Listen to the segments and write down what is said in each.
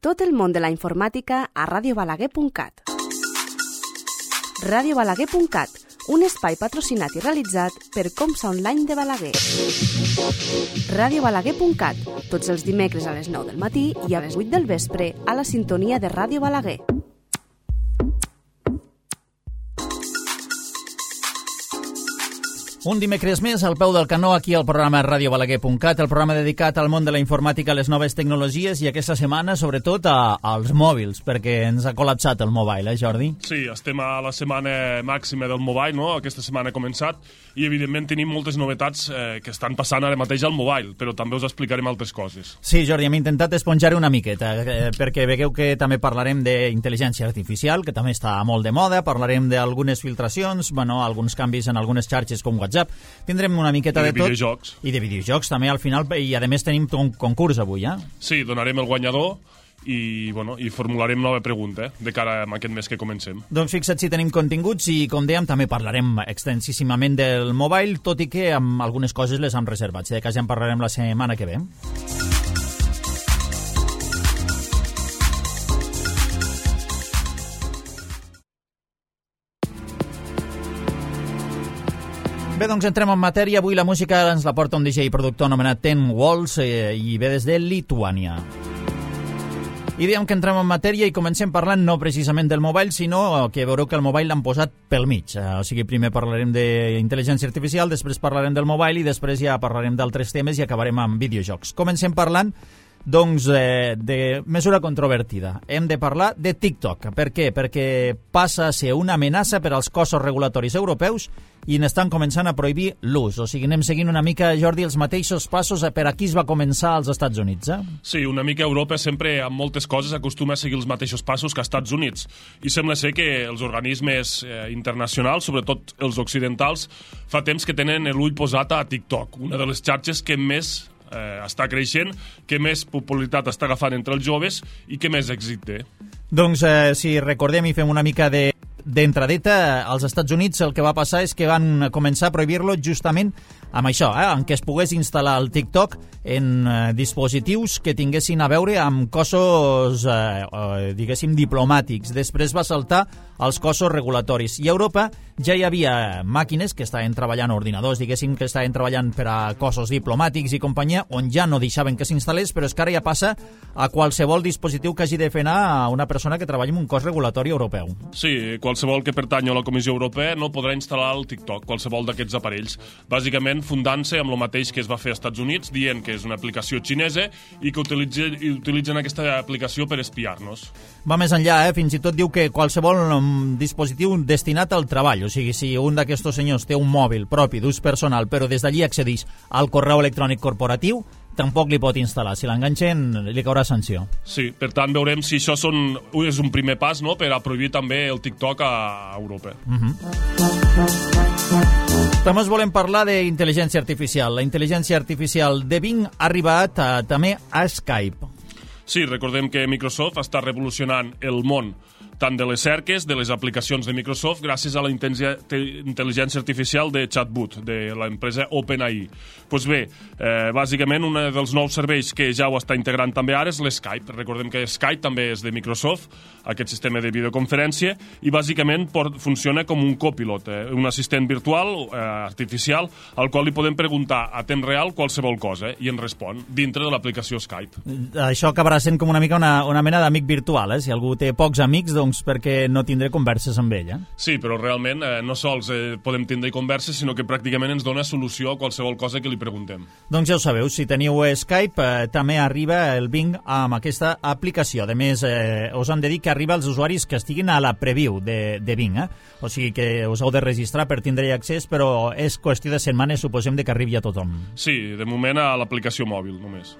Tot el món de la informàtica a radiobalaguer.cat. radiobalaguer.cat, un espai patrocinat i realitzat per Comsa Online de Balaguer. radiobalaguer.cat, tots els dimecres a les 9 del matí i a les 8 del vespre a la sintonia de Ràdio Balaguer. Un dimecres més al peu del canó aquí al programa radiobalaguer.cat, el programa dedicat al món de la informàtica, a les noves tecnologies i aquesta setmana sobretot als mòbils, perquè ens ha col·lapsat el mobile, Jordi? Sí, estem a la setmana màxima del mobile, no? Aquesta setmana ha començat i evidentment tenim moltes novetats que estan passant ara mateix al mobile, però també us explicarem altres coses. Sí, Jordi, hem intentat esponjar una miqueta, perquè vegueu que també parlarem d'intel·ligència artificial, que també està molt de moda, parlarem d'algunes filtracions, alguns canvis en algunes xarxes com WhatsApp. Tindrem una miqueta de tot. Videojocs. I de videojocs també al final, i a més tenim un concurs avui, eh? Sí, donarem el guanyador i formularem nova pregunta de cara a aquest mes que comencem. Doncs fixa't si tenim continguts i, com dèiem, també parlarem extensíssimament del mobile, tot i que amb algunes coses les hem reservat. Si de cas ja en parlarem la setmana que ve. Bé, doncs entrem en matèria. Avui la música ens la porta un DJ i productor anomenat Ten Walls i ve des de Lituània. I diem que entrem en matèria i comencem parlant no precisament del mobile, sinó que veureu que el mobile l'han posat pel mig. O sigui, primer parlarem d'intel·ligència artificial, després parlarem del mobile i després ja parlarem d'altres temes i acabarem amb videojocs. Comencem parlant doncs de mesura controvertida. Hem de parlar de TikTok. Per què? Perquè passa a ser una amenaça per als cossos regulatoris europeus i n'estan començant a prohibir l'ús. O sigui, anem seguint una mica, Jordi, els mateixos passos per aquí es va començar als Estats Units, eh? Sí, una mica Europa sempre, amb moltes coses, acostuma a seguir els mateixos passos que als Estats Units. I sembla ser que els organismes internacionals, sobretot els occidentals, fa temps que tenen l'ull posat a TikTok, una de les xarxes que més està creixent, que més popularitat està agafant entre els joves i que més èxit té. Doncs si recordem i fem una mica d'entradeta, als Estats Units el que va passar és que van començar a prohibir-lo justament amb això, en què es pogués instal·lar el TikTok en dispositius que tinguessin a veure amb cossos, diguéssim, diplomàtics. Després va saltar als cossos regulatoris. I a Europa ja hi havia màquines que estaven treballant, ordinadors, diguéssim, que estaven treballant per a cossos diplomàtics i companyia, on ja no deixaven que s'instal·lés, però és que ara ja passa a qualsevol dispositiu que hagi de fer anar a una persona que treballi en un cos regulatori europeu. Sí, qualsevol que pertany a la Comissió Europea no podrà instal·lar el TikTok, qualsevol d'aquests aparells. Bàsicament, fundant-se amb el mateix que es va fer als Estats Units, dient que és una aplicació xinesa i que utilitzen aquesta aplicació per espiar-nos. Va més enllà, fins i tot diu que qualsevol dispositiu destinat al treball, o sigui, si un d'aquests senyors té un mòbil propi d'ús personal, però des d'allí accedeix al correu electrònic corporatiu, tampoc li pot instal·lar. Si l'enganxen, li caurà sanció. Sí, per tant, veurem si això és un primer pas, no?, per a prohibir també el TikTok a Europa. També us volem parlar d'intel·ligència artificial. La intel·ligència artificial de Bing ha arribat també a Skype. Sí, recordem que Microsoft està revolucionant el món tant de les cerques, de les aplicacions de Microsoft, gràcies a la intel·ligència artificial de chatbot, de l'empresa OpenAI. Doncs bé, bàsicament, un dels nous serveis que ja ho està integrant també ara és l'Skype. Recordem que Skype també és de Microsoft, aquest sistema de videoconferència, i bàsicament funciona com un copilot, un assistent virtual, artificial, al qual li podem preguntar a temps real qualsevol cosa, i ens respon dintre de l'aplicació Skype. Això acabarà sent com una mica una mena d'amic virtual, Si algú té pocs amics, doncs perquè no tindré converses amb ell, Sí, però realment no sols podem tindre converses, sinó que pràcticament ens dona solució a qualsevol cosa que li preguntem. Doncs ja ho sabeu, si teniu Skype, també arriba el Bing amb aquesta aplicació. A més, us hem de dir que arriba als usuaris que estiguin a la preview de Bing, O sigui que us heu de registrar per tindre accés, però és qüestió de setmanes, suposem, que arribi a tothom. Sí, de moment a l'aplicació mòbil, només.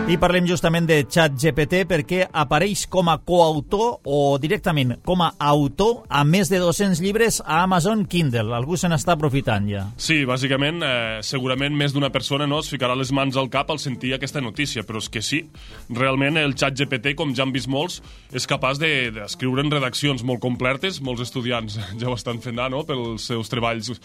I parlem justament de ChatGPT perquè apareix com a coautor o directament com a autor a més de 200 llibres a Amazon Kindle. Algú se n'està aprofitant ja. Sí, bàsicament, segurament més d'una persona es ficarà les mans al cap al sentir aquesta notícia, però és que sí, realment el ChatGPT, com ja han vist molts, és capaç d'escriure en redaccions molt completes, molts estudiants ja ho estan fent, pels seus treballs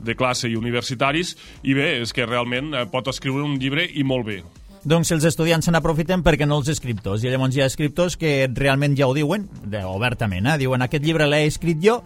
de classe i universitaris, i bé, és que realment pot escriure un llibre i molt bé. Doncs els estudiants se n'aprofiten perquè no els escriptors. I llavors hi ha escriptors que realment ja ho diuen, obertament, diuen aquest llibre l'he escrit jo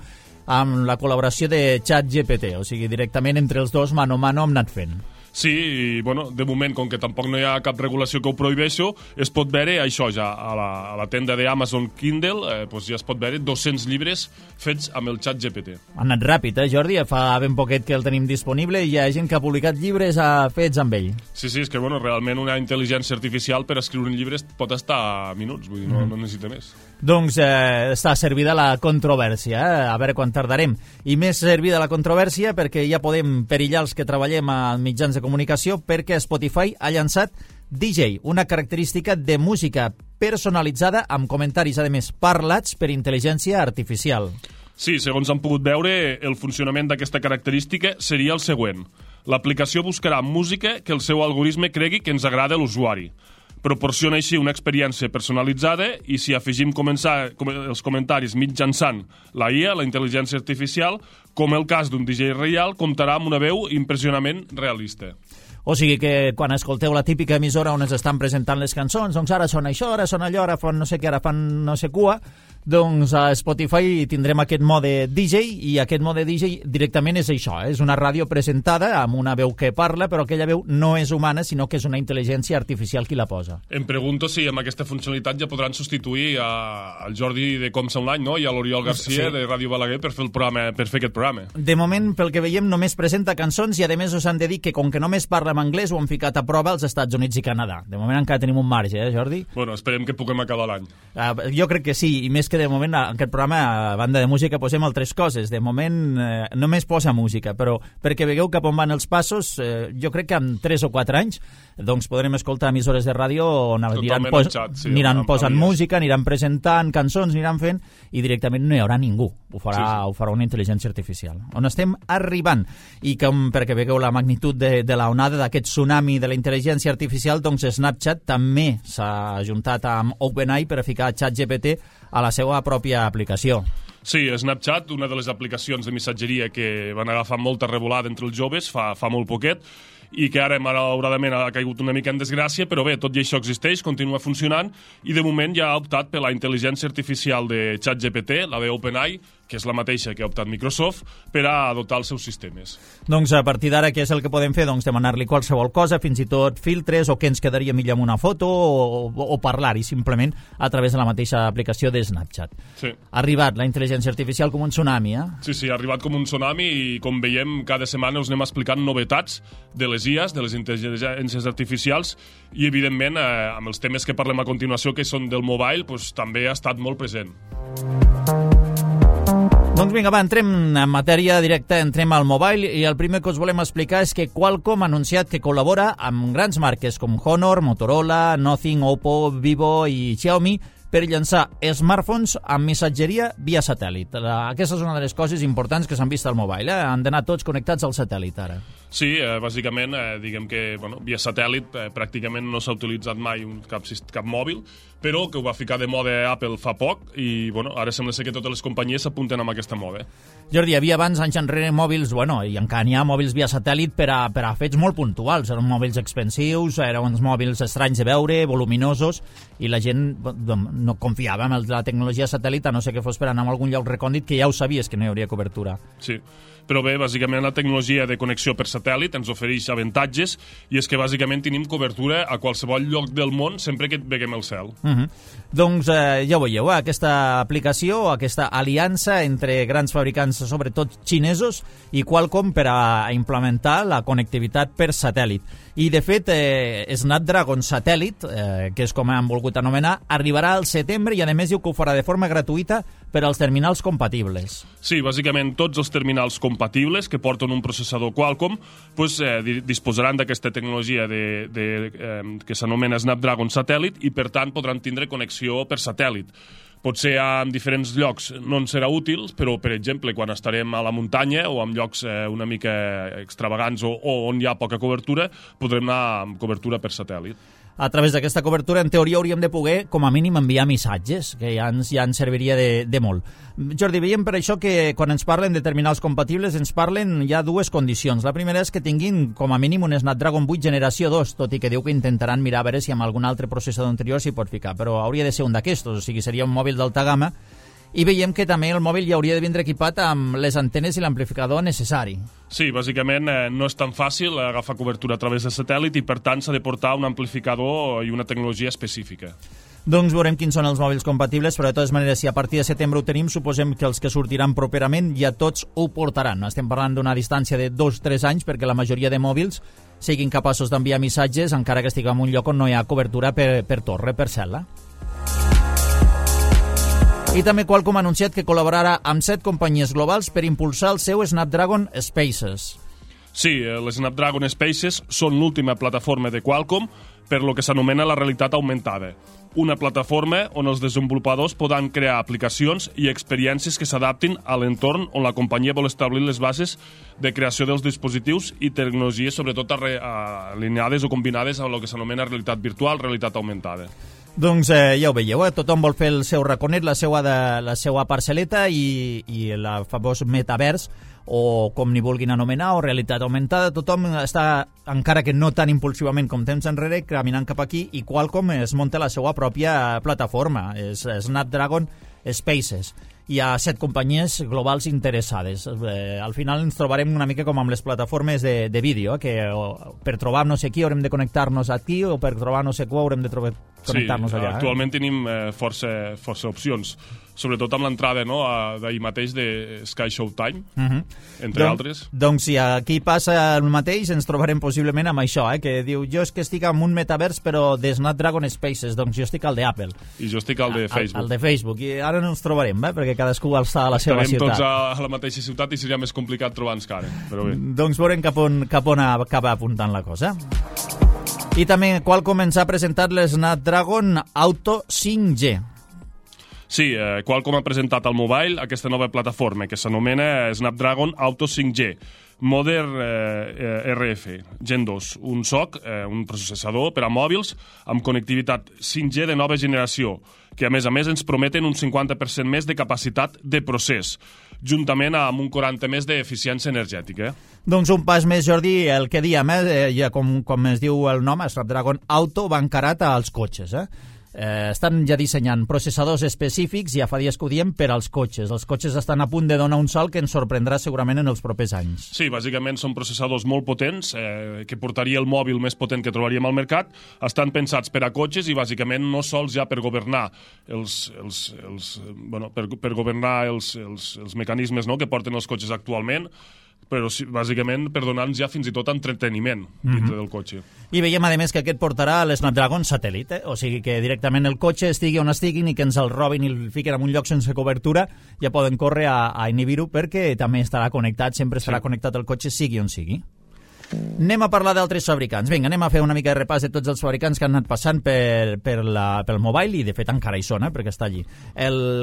amb la col·laboració de ChatGPT, o sigui, directament entre els dos, mano a mano, hem anat fent. Sí, i bueno, de moment, com que tampoc no hi ha cap regulació que ho prohibeixi, es pot veure això ja a la tenda d'Amazon Kindle, ja es pot veure 200 llibres fets amb el ChatGPT. Ha anat ràpid, Jordi? Fa ben poquet que el tenim disponible i hi ha gent que ha publicat llibres fets amb ell. Sí, és que realment una intel·ligència artificial per escriure un llibre pot estar minuts, vull dir, no necessita més. Doncs està servida la controvèrsia, a veure quan tardarem. I més servida la controvèrsia perquè ja podem perillar els que treballem a mitjans de comunicació, perquè Spotify ha llançat DJ, una característica de música personalitzada amb comentaris, a més, parlats per intel·ligència artificial. Sí, segons han pogut veure, el funcionament d'aquesta característica seria el següent. L'aplicació buscarà música que el seu algoritme cregui que ens agrada a l'usuari. Proporciona així una experiència personalitzada i si afegim els comentaris mitjançant la IA, la intel·ligència artificial, com el cas d'un DJ real, comptarà amb una veu impressionament realista. O sigui que quan escolteu la típica emissora on es estan presentant les cançons, doncs ara sona això, ara sona allò, ara fan no sé què, ara fan no sé cua, doncs a Spotify tindrem aquest mode DJ i aquest mode DJ directament és això, és una ràdio presentada amb una veu que parla, però aquella veu no és humana, sinó que és una intel·ligència artificial qui la posa. Em pregunto si amb aquesta funcionalitat ja podran substituir al Jordi de Comsa Online, no? I a l'Oriol Garcia de Ràdio Balaguer per fer aquest programa. De moment, pel que veiem, només presenta cançons i a més us han de dir que com que només parla en anglès ho han ficat a prova als Estats Units i Canadà. De moment encara tenim un marge, Jordi? Bueno, esperem que puguem acabar l'any. Jo crec que sí, i més que de moment en aquest programa, a banda de música, posem altres coses. De moment només posa música, però perquè veieu cap on van els passos, jo crec que en 3 o 4 anys doncs podrem escoltar emissores de ràdio on aniran posant música, aniran presentant cançons, aniran fent, i directament no hi haurà ningú. Ho farà una intel·ligència artificial. On estem arribant. I perquè veieu la magnitud de la onada d'aquest tsunami de la intel·ligència artificial, doncs Snapchat també s'ha ajuntat amb OpenAI per a ficar ChatGPT a la seva pròpia aplicació. Sí, Snapchat, una de les aplicacions de missatgeria que van agafar molta revolada entre els joves fa molt poquet, i que ara malauradament ha caigut una mica en desgràcia, però bé, tot i això existeix, continua funcionant, i de moment ja ha optat per la intel·ligència artificial de ChatGPT, la d'OpenAI, que és la mateixa que ha optat Microsoft, per a dotar els seus sistemes. Doncs a partir d'ara, què és el que podem fer? Doncs demanar-li qualsevol cosa, fins i tot filtres, o què ens quedaria millor amb una foto, o parlar-hi simplement a través de la mateixa aplicació de Snapchat. Sí. Ha arribat la intel·ligència artificial com un tsunami, Sí, ha arribat com un tsunami i, com veiem, cada setmana us anem explicant novetats de les IAs, de les intel·ligències artificials, i, evidentment, amb els temes que parlem a continuació, que són del mobile, també ha estat molt present. Doncs vinga, va, entrem en matèria directa, entrem al mobile, i el primer que us volem explicar és que Qualcomm ha anunciat que col·labora amb grans marques com Honor, Motorola, Nothing, Oppo, Vivo i Xiaomi per llançar smartphones amb missatgeria via satèl·lit. Aquesta és una de les coses importants que s'han vist al mobile. Han d'anar tots connectats al satèl·lit, ara. Sí, bàsicament, diguem que via satèl·lit pràcticament no s'ha utilitzat mai cap mòbil, però que ho va ficar de moda Apple fa poc i ara sembla ser que totes les companyies s'apunten amb aquesta moda. Jordi, hi havia abans, anys enrere, mòbils, i encara n'hi ha mòbils via satèl·lit per a fets molt puntuals. Eren mòbils expensius, eren uns mòbils estranys de veure, voluminosos, i la gent no confiava en la tecnologia satèl·lit, a no ser que fos per anar a algun lloc recòndit que ja ho sabies que no hi hauria cobertura. Sí, però bé, bàsicament la tecnologia de connexió per satèl·lit ens ofereix avantatges, i és que bàsicament tenim cobertura a qualsevol lloc del món sempre que veiem el cel. Doncs ja ho veieu, aquesta aplicació, aquesta aliança entre grans fabricants, sobretot xinesos, i Qualcomm per a implementar la connectivitat per satèl·lit. I, de fet, Snapdragon Satèl·lit, que és com han volgut anomenar, arribarà al setembre i, a més, diu que ho farà de forma gratuïta per als terminals compatibles. Sí, bàsicament tots els terminals compatibles que porten un processador Qualcomm disposaran d'aquesta tecnologia que s'anomena Snapdragon Satèl·lit, i, per tant, podran tindre connexió per satèl·lit. Potser en diferents llocs no ens serà útil, però, per exemple, quan estarem a la muntanya o en llocs una mica extravagants o on hi ha poca cobertura, podrem anar amb cobertura per satèl·lit. a través d'aquesta cobertura, en teoria hauríem de poder, com a mínim, enviar missatges, que ja ens serviria de molt. Jordi, veiem per això que quan ens parlen de terminals compatibles ens parlen ja dues condicions. La primera és que tinguin com a mínim un Snapdragon 8 generació 2, tot i que diu que intentaran mirar a veure si amb algun altre processador anterior s'hi pot ficar, però hauria de ser un d'aquestos, o sigui, seria un mòbil d'alta gamma. I veiem que també el mòbil ja hauria de vindre equipat amb les antenes i l'amplificador necessari. Sí, bàsicament no és tan fàcil agafar cobertura a través de satèl·lit i per tant s'ha de portar un amplificador i una tecnologia específica. Doncs veurem quins són els mòbils compatibles, però de totes maneres, si a partir de setembre ho tenim, suposem que els que sortiran properament ja tots ho portaran. Estem parlant d'una distància de 2-3 anys perquè la majoria de mòbils siguin capaços d'enviar missatges encara que estiguem en un lloc on no hi ha cobertura per torre, per cel·la. I també Qualcomm ha anunciat que col·laborarà amb 7 companyies globals per impulsar el seu Snapdragon Spaces. Sí, les Snapdragon Spaces són l'última plataforma de Qualcomm per lo que s'anomena la realitat augmentada. Una plataforma on els desenvolupadors podran crear aplicacions i experiències que s'adaptin a l'entorn on la companyia vol establir les bases de creació dels dispositius i tecnologies, sobretot alineades o combinades amb el que s'anomena realitat virtual, realitat augmentada. Doncs ja ho veieu, tothom vol fer el seu raconet, la seva parcel·leta i el famós metavers, o com n'hi vulguin anomenar, o realitat augmentada. Tothom està, encara que no tan impulsivament com temps enrere, caminant cap aquí, i Qualcomm es munta la seva pròpia plataforma, és Snapdragon Spaces. Hi ha 7 companyies globals interessades. Al final ens trobarem una mica com amb les plataformes de vídeo, que per trobar no sé qui haurem de connectar-nos aquí, o per trobar no sé què haurem de connectar-nos allà. Actualment tenim força opcions, sobretot amb l'entrada d'ahir mateix de Sky Showtime, entre altres. Doncs si aquí passa el mateix, ens trobarem possiblement amb això, que diu, jo és que estic en un metavers però de Snapdragon Spaces, doncs jo estic al d'Apple. I jo estic al de Facebook. Al de Facebook, i ara no ens trobarem, perquè cadascú està a la seva ciutat. Estarem tots a la mateixa ciutat i seria més complicat trobar-nos cara, però bé. Doncs veurem cap on acaba apuntant la cosa. I també Qualcomm ens ha presentat l'Snapdragon Auto 5G. Sí, Qualcomm ha presentat al mobile aquesta nova plataforma que s'anomena Snapdragon Auto 5G, Modern RF Gen 2, un SoC, un processador per a mòbils amb connectivitat 5G de nova generació, que a més ens prometen un 50% més de capacitat de procés, juntament amb un 40% més d'eficiència energètica. Doncs un pas més, Jordi, el que diem, ja com es diu el nom, Snapdragon Auto, va encarat als cotxes, estan ja dissenyant processadors específics, ja fa dies que ho diem, per als cotxes. Els cotxes estan a punt de donar un salt que ens sorprendrà segurament en els propers anys. Sí, bàsicament són processadors molt potents, que portaria el mòbil més potent que trobaríem al mercat. Estan pensats per a cotxes i bàsicament no sols ja per governar per governar els mecanismes que porten els cotxes actualment, però sí, bàsicament per donar-nos ja fins i tot entreteniment dintre del cotxe. I veiem, a més, que aquest portarà l'Snapdragon satèl·lit, o sigui que directament el cotxe estigui on estiguin i que ens el robin i el fiquen en un lloc sense cobertura, ja poden córrer a inhibir-ho perquè també estarà connectat, sempre estarà connectat el cotxe, sigui on sigui. Anem a parlar d'altres fabricants. Vinga, anem a fer una mica de repàs de tots els fabricants que han anat passant pel mobile, i de fet encara hi són, perquè està allí.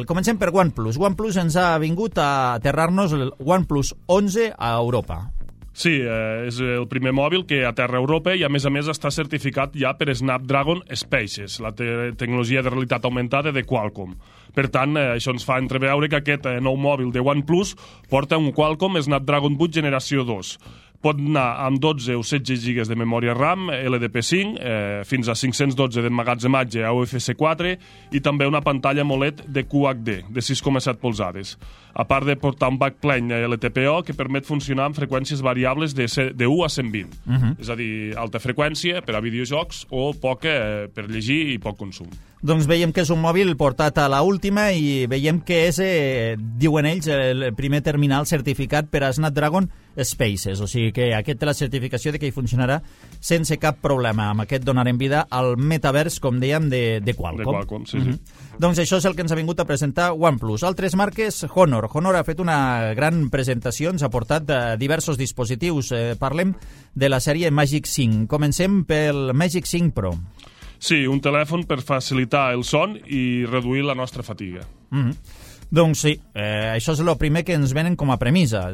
Comencem per OnePlus. OnePlus ens ha vingut a aterrar-nos el OnePlus 11 a Europa. Sí, és el primer mòbil que aterra a Europa i a més està certificat ja per Snapdragon Spaces, la tecnologia de realitat augmentada de Qualcomm. Per tant, això ens fa entreveure que aquest nou mòbil de OnePlus porta un Qualcomm Snapdragon 8 generació 2. Pot anar amb 12 o 16 GB de memòria RAM, LDP5, fins a 512 d'emmagatzematge a UFC 4 i també una pantalla AMOLED de QHD de 6,7 polzades. A part de portar un backplane LTPO que permet funcionar amb freqüències variables de 1 a 120. És a dir, alta freqüència per a videojocs o poca per llegir i poc consum. Doncs veiem que és un mòbil portat a l'última i veiem que és, diuen ells, el primer terminal certificat per a Snapdragon Spaces, o sigui que aquest té la certificació de que hi funcionarà sense cap problema. Amb aquest donarem vida al metavers, com dèiem, de Qualcomm. De Qualcomm, sí. Doncs això és el que ens ha vingut a presentar OnePlus. Altres marques, Honor. Honor ha fet una gran presentació, ens ha portat diversos dispositius. Parlem de la sèrie Magic 5. Comencem pel Magic 5 Pro. Sí, un telèfon per facilitar el son i reduir la nostra fatiga. Doncs sí, això és el primer que ens venen com a premissa.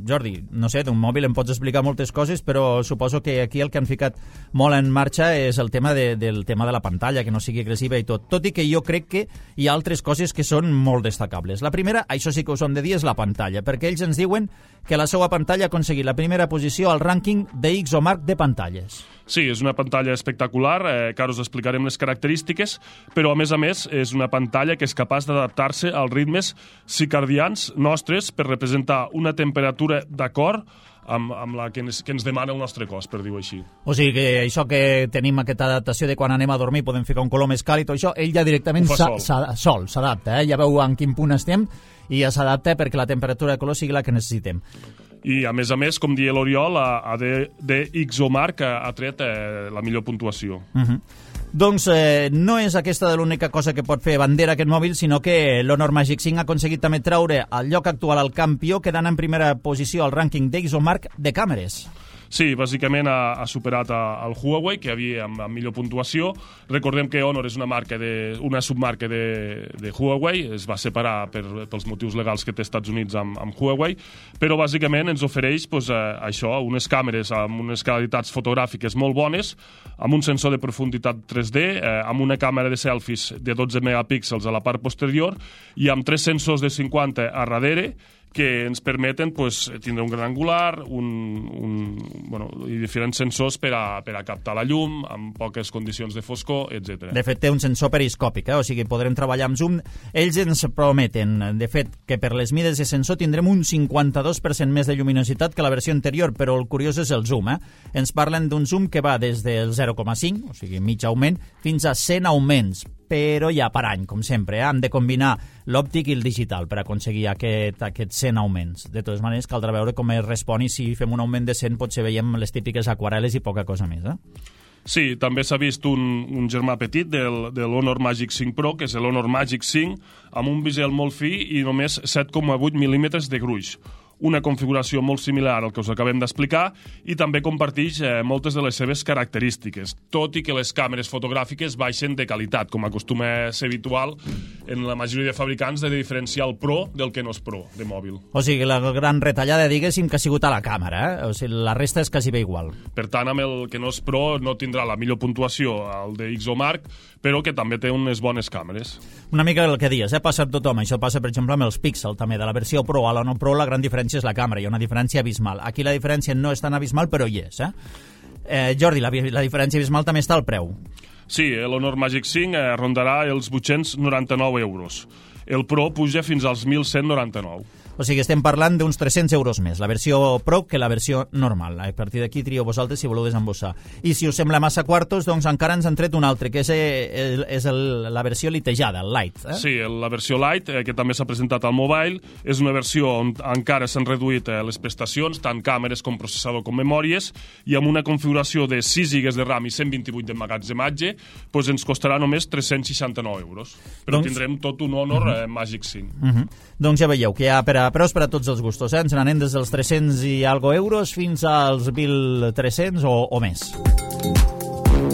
Jordi, no sé, d'un mòbil em pots explicar moltes coses, però suposo que aquí el que han ficat molt en marxa és el tema del tema de la pantalla, que no sigui agressiva i tot i que jo crec que hi ha altres coses que són molt destacables. La primera, això sí que us ho hem de dir, és la pantalla, perquè ells ens diuen que la seva pantalla ha aconseguit la primera posició al rànquing de Ixomark de pantalles. Sí, és una pantalla espectacular, que ara us explicarem les característiques, però a més és una pantalla que és capaç d'adaptar-se als ritmes circadians nostres per representar una temperatura d'acord amb la que ens demana el nostre cos, per dir-ho així. O sigui que això que tenim aquesta adaptació de quan anem a dormir podem ficar un color més càlid, això ell ja directament s'adapta, ja veu en quin punt estem i ja s'adapta perquè la temperatura de color sigui la que necessitem. I a més, com deia l'Oriol, de Ixomark ha tret la millor puntuació. Doncs no és aquesta l'única cosa que pot fer bandera aquest mòbil, sinó que l'Honor Magic 5 ha aconseguit també treure el lloc actual al campió, quedant en primera posició al rànquing d'Ixomark de càmeres. Sí, bàsicament ha superat el Huawei, que havia amb millor puntuació. Recordem que Honor és una submarca de Huawei, es va separar pels motius legals que té Estats Units amb Huawei, però bàsicament ens ofereix això, unes càmeres amb unes qualitats fotogràfiques molt bones, amb un sensor de profunditat 3D, amb una càmera de selfies de 12 megapíxels a la part posterior i amb 3 sensors de 50 a darrere, que ens permeten tindre un gran angular i diferents sensors per a captar la llum amb poques condicions de foscor, etc. De fet, té un sensor periscòpic, o sigui, podrem treballar amb zoom. Ells ens prometen, de fet, que per les mides de sensor tindrem un 52% més de lluminositat que la versió anterior, però el curiós és el zoom. Ens parlen d'un zoom que va des del 0,5, o sigui, mig augment, fins a 100 augments, però ja per any, com sempre. Hem de combinar l'òptic i el digital per aconseguir aquests 100 augments. De totes maneres, caldrà veure com es respon i si fem un augment de 100 potser veiem les típiques aquarel·les i poca cosa més. Sí, també s'ha vist un germà petit de l'Honor Magic 5 Pro, que és l'Honor Magic 5, amb un bisel molt fi i només 7,8 mil·límetres de gruix. Una configuració molt similar al que us acabem d'explicar i també comparteix moltes de les seves característiques, tot i que les càmeres fotogràfiques baixen de qualitat, com acostuma a ser habitual en la majoria de fabricants de diferenciar el Pro del que no és Pro de mòbil. O sigui, la gran retallada, diguéssim, que ha sigut a la càmera, o sigui, la resta és quasi bé igual. Per tant, amb el que no és Pro no tindrà la millor puntuació al de Ixomark, però que també té unes bones càmeres. Una mica el que dius, passa per tothom. Això passa, per exemple, amb els Pixel, també. De la versió Pro a la no Pro, la gran diferència és la càmera. Hi ha una diferència abismal. Aquí la diferència no és tan abismal, però hi és. Jordi, la diferència abismal també està al preu. Sí, l'Honor Magic 5 rondarà els 899 euros. El Pro puja fins als 1.199. O sigui, estem parlant d'uns 300 euros més, la versió Pro que la versió normal. A partir d'aquí trieu vosaltres si voleu desembossar. I si us sembla massa quartos, doncs encara ens han tret un altre, que és la versió litejada, el Lite. Sí, la versió Lite, que també s'ha presentat al mobile, és una versió on encara s'han reduït les prestacions, tant càmeres com processador com memòries, i amb una configuració de 6 GB de RAM i 128 d'emmagatzematge, doncs ens costarà només 369 euros. Però tindrem tot un Honor Magic 5. Doncs ja veieu que hi ha preus per a tots els gustos. Ens n'anem des dels 300 i algo euros fins als 1.300 o més.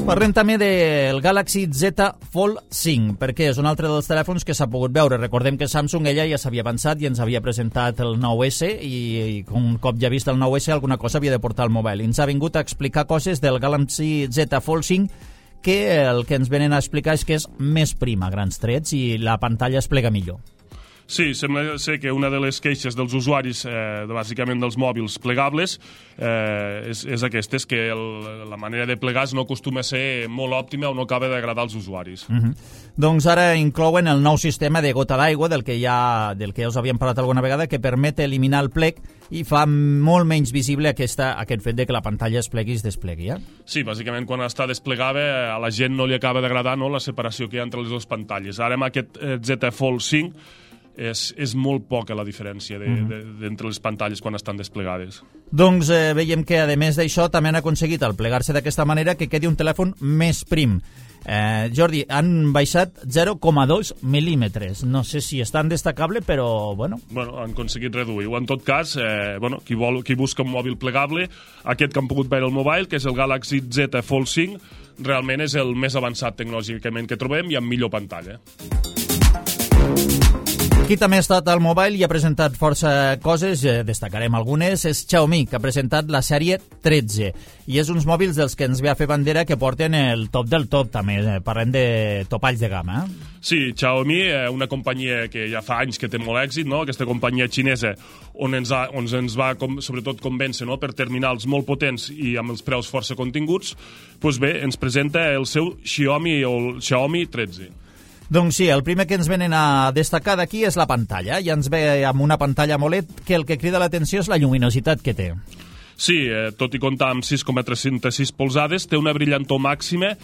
Parlem també del Galaxy Z Fold 5, perquè és un altre dels telèfons que s'ha pogut veure. Recordem que Samsung ella ja s'havia avançat i ens havia presentat el 9S i un cop ja vist el 9S alguna cosa havia de portar al mobile. I ens ha vingut a explicar coses del Galaxy Z Fold 5 que el que ens venen a explicar és que és més prim a grans trets i la pantalla es plega millor. Sí, sembla ser que una de les queixes dels usuaris, bàsicament dels mòbils plegables, és aquesta, és que la manera de plegar no acostuma a ser molt òptima o no acaba d'agradar als usuaris. Doncs ara inclouen el nou sistema de gota d'aigua, del que ja us havíem parlat alguna vegada, que permet eliminar el plec i fa molt menys visible aquest fet de que la pantalla es plegui i es desplegui. Sí, bàsicament quan està desplegada a la gent no li acaba d'agradar la separació que hi ha entre les dues pantalles. Ara amb aquest Z Fold 5 és molt poca la diferència entre les pantalles quan estan desplegades. Doncs veiem que, a més d'això, també han aconseguit al plegar-se d'aquesta manera que quedi un telèfon més prim. Jordi, han baixat 0,2 mil·límetres. No sé si és tan destacable, però, bueno, han aconseguit reduir-ho. En tot cas, qui busca un mòbil plegable, aquest que han pogut veure al mobile, que és el Galaxy Z Fold 5, realment és el més avançat tecnològicament que trobem i amb millor pantalla. Qui també ha estat al Mobile i ha presentat força coses, destacarem algunes, és Xiaomi, que ha presentat la sèrie 13. I és uns mòbils dels que ens ve a fer bandera que porten el top del top, també. Parlem de topalls de gamma. Sí, Xiaomi, una companyia que ja fa anys que té molt èxit, no? Aquesta companyia xinesa on ens va sobretot convèncer, no? Per terminals molt potents i amb els preus força continguts, doncs bé, ens presenta el seu Xiaomi o el Xiaomi 13. Doncs sí, el primer que ens venen a destacar d'aquí és la pantalla. Ja ens ve amb una pantalla AMOLED que el que crida l'atenció és la lluminositat que té. Sí, tot i comptar amb 6,306 polzades, té una brillantor màxima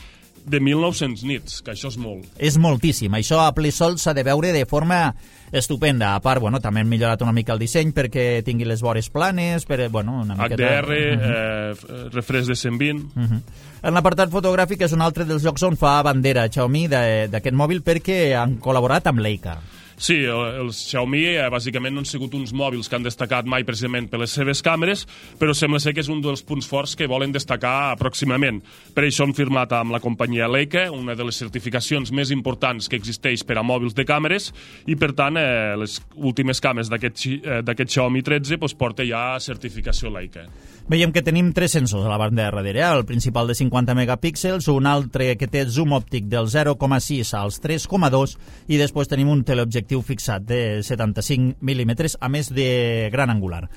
de 1.900 nits, que això és molt. És moltíssim. Això a ple sol s'ha de veure de forma estupenda. A part, també han millorat una mica el disseny perquè tingui les vores planes, una miqueta... HDR, refresh de 120... En l'apartat fotogràfic és un altre dels llocs on fa bandera Xiaomi d'aquest mòbil perquè han col·laborat amb Leica. Sí, els Xiaomi bàsicament no han sigut uns mòbils que han destacat mai precisament per les seves càmeres, però sembla ser que és un dels punts forts que volen destacar pròximament. Per això han firmat amb la companyia Leica, una de les certificacions més importants que existeix per a mòbils de càmeres, i per tant les últimes càmeres d'aquest Xiaomi 13 porta ja certificació Leica. Veiem que tenim 3 sensors a la banda de darrere, el principal de 50 megapíxels, un altre que té zoom òptic del 0,6 als 3,2 i després tenim un teleobjectiu fixat de 75 mil·límetres, a més de gran angular.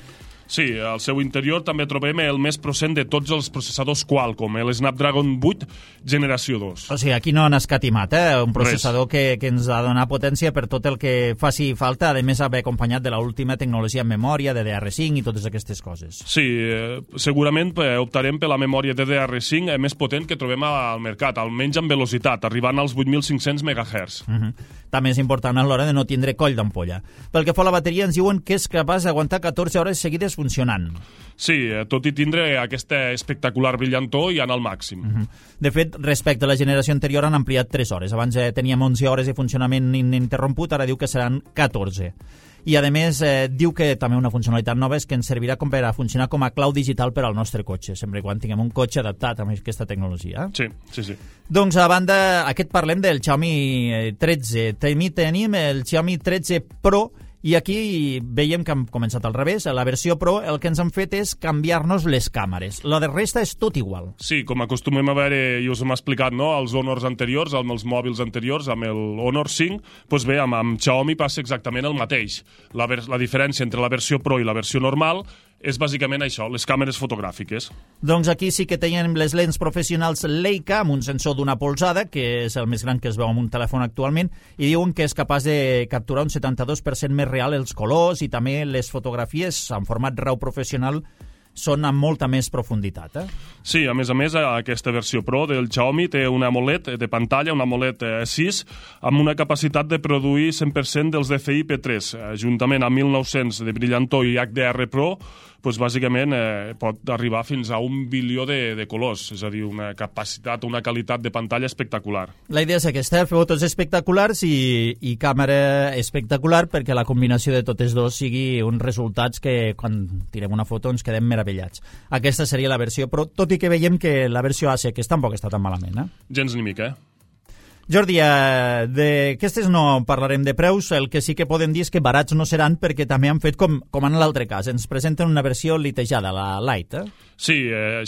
Sí, al seu interior també trobem el més procent de tots els processadors Qualcomm, el Snapdragon 8 generació 2. O sigui, aquí no han escatimat, un processador que ens ha de donar potència per tot el que faci falta, a més haver acompanyat de l'última tecnologia en memòria, DDR5 i totes aquestes coses. Sí, segurament optarem per la memòria DDR5 més potent que trobem al mercat, almenys en velocitat, arribant als 8.500 MHz. També és important a l'hora de no tindre coll d'ampolla. Pel que fa a la bateria, ens diuen que és capaç d'aguantar 14 hores seguides funcionant. Sí, tot i tindre aquesta espectacular brillantor i anar al màxim. De fet, respecte a la generació anterior han ampliat 3 hores. Abans teníem 11 hores de funcionament ininterromput, ara diu que seran 14. I, a més, diu que també una funcionalitat nova és que ens servirà per a funcionar com a clau digital per al nostre cotxe, sempre quan tinguem un cotxe adaptat a aquesta tecnologia. Sí. Doncs, a banda, parlem del Xiaomi 13. Tenim el Xiaomi 13 Pro, i aquí veiem que hem començat al revés. A la versió Pro el que ens han fet és canviar-nos les càmeres. La de resta és tot igual. Sí, com acostumem a veure, i us hem explicat, no?, els Honors anteriors, amb els mòbils anteriors, amb el Honor 5, doncs bé, amb Xiaomi passa exactament el mateix. La diferència entre la versió Pro i la versió normal és bàsicament això, les càmeres fotogràfiques. Doncs aquí sí que tenim les lents professionals Leica amb un sensor d'una polzada, que és el més gran que es veu amb un telèfon actualment, i diuen que és capaç de capturar un 72% més real els colors i també les fotografies en format RAW professional són amb molta més profunditat. Sí, a més, aquesta versió Pro del Xiaomi té una AMOLED de pantalla, una AMOLED 6, amb una capacitat de produir 100% dels DCI P3, juntament amb 1900 de brillantor i HDR Pro, doncs bàsicament pot arribar fins a 1 bilió de colors, és a dir, una capacitat, una qualitat de pantalla espectacular. La idea és aquesta, fotos espectaculars i càmera espectacular perquè la combinació de totes dos sigui uns resultats que quan tirem una foto ens quedem meravellats. Aquesta seria la versió Pro, tot i que veiem que la versió AC que tampoc està tan malament. Gens ni mica, Jordi, d'aquestes no parlarem de preus, el que sí que podem dir és que barats no seran perquè també han fet com en l'altre cas, ens presenten una versió litejada, la Lite. Sí,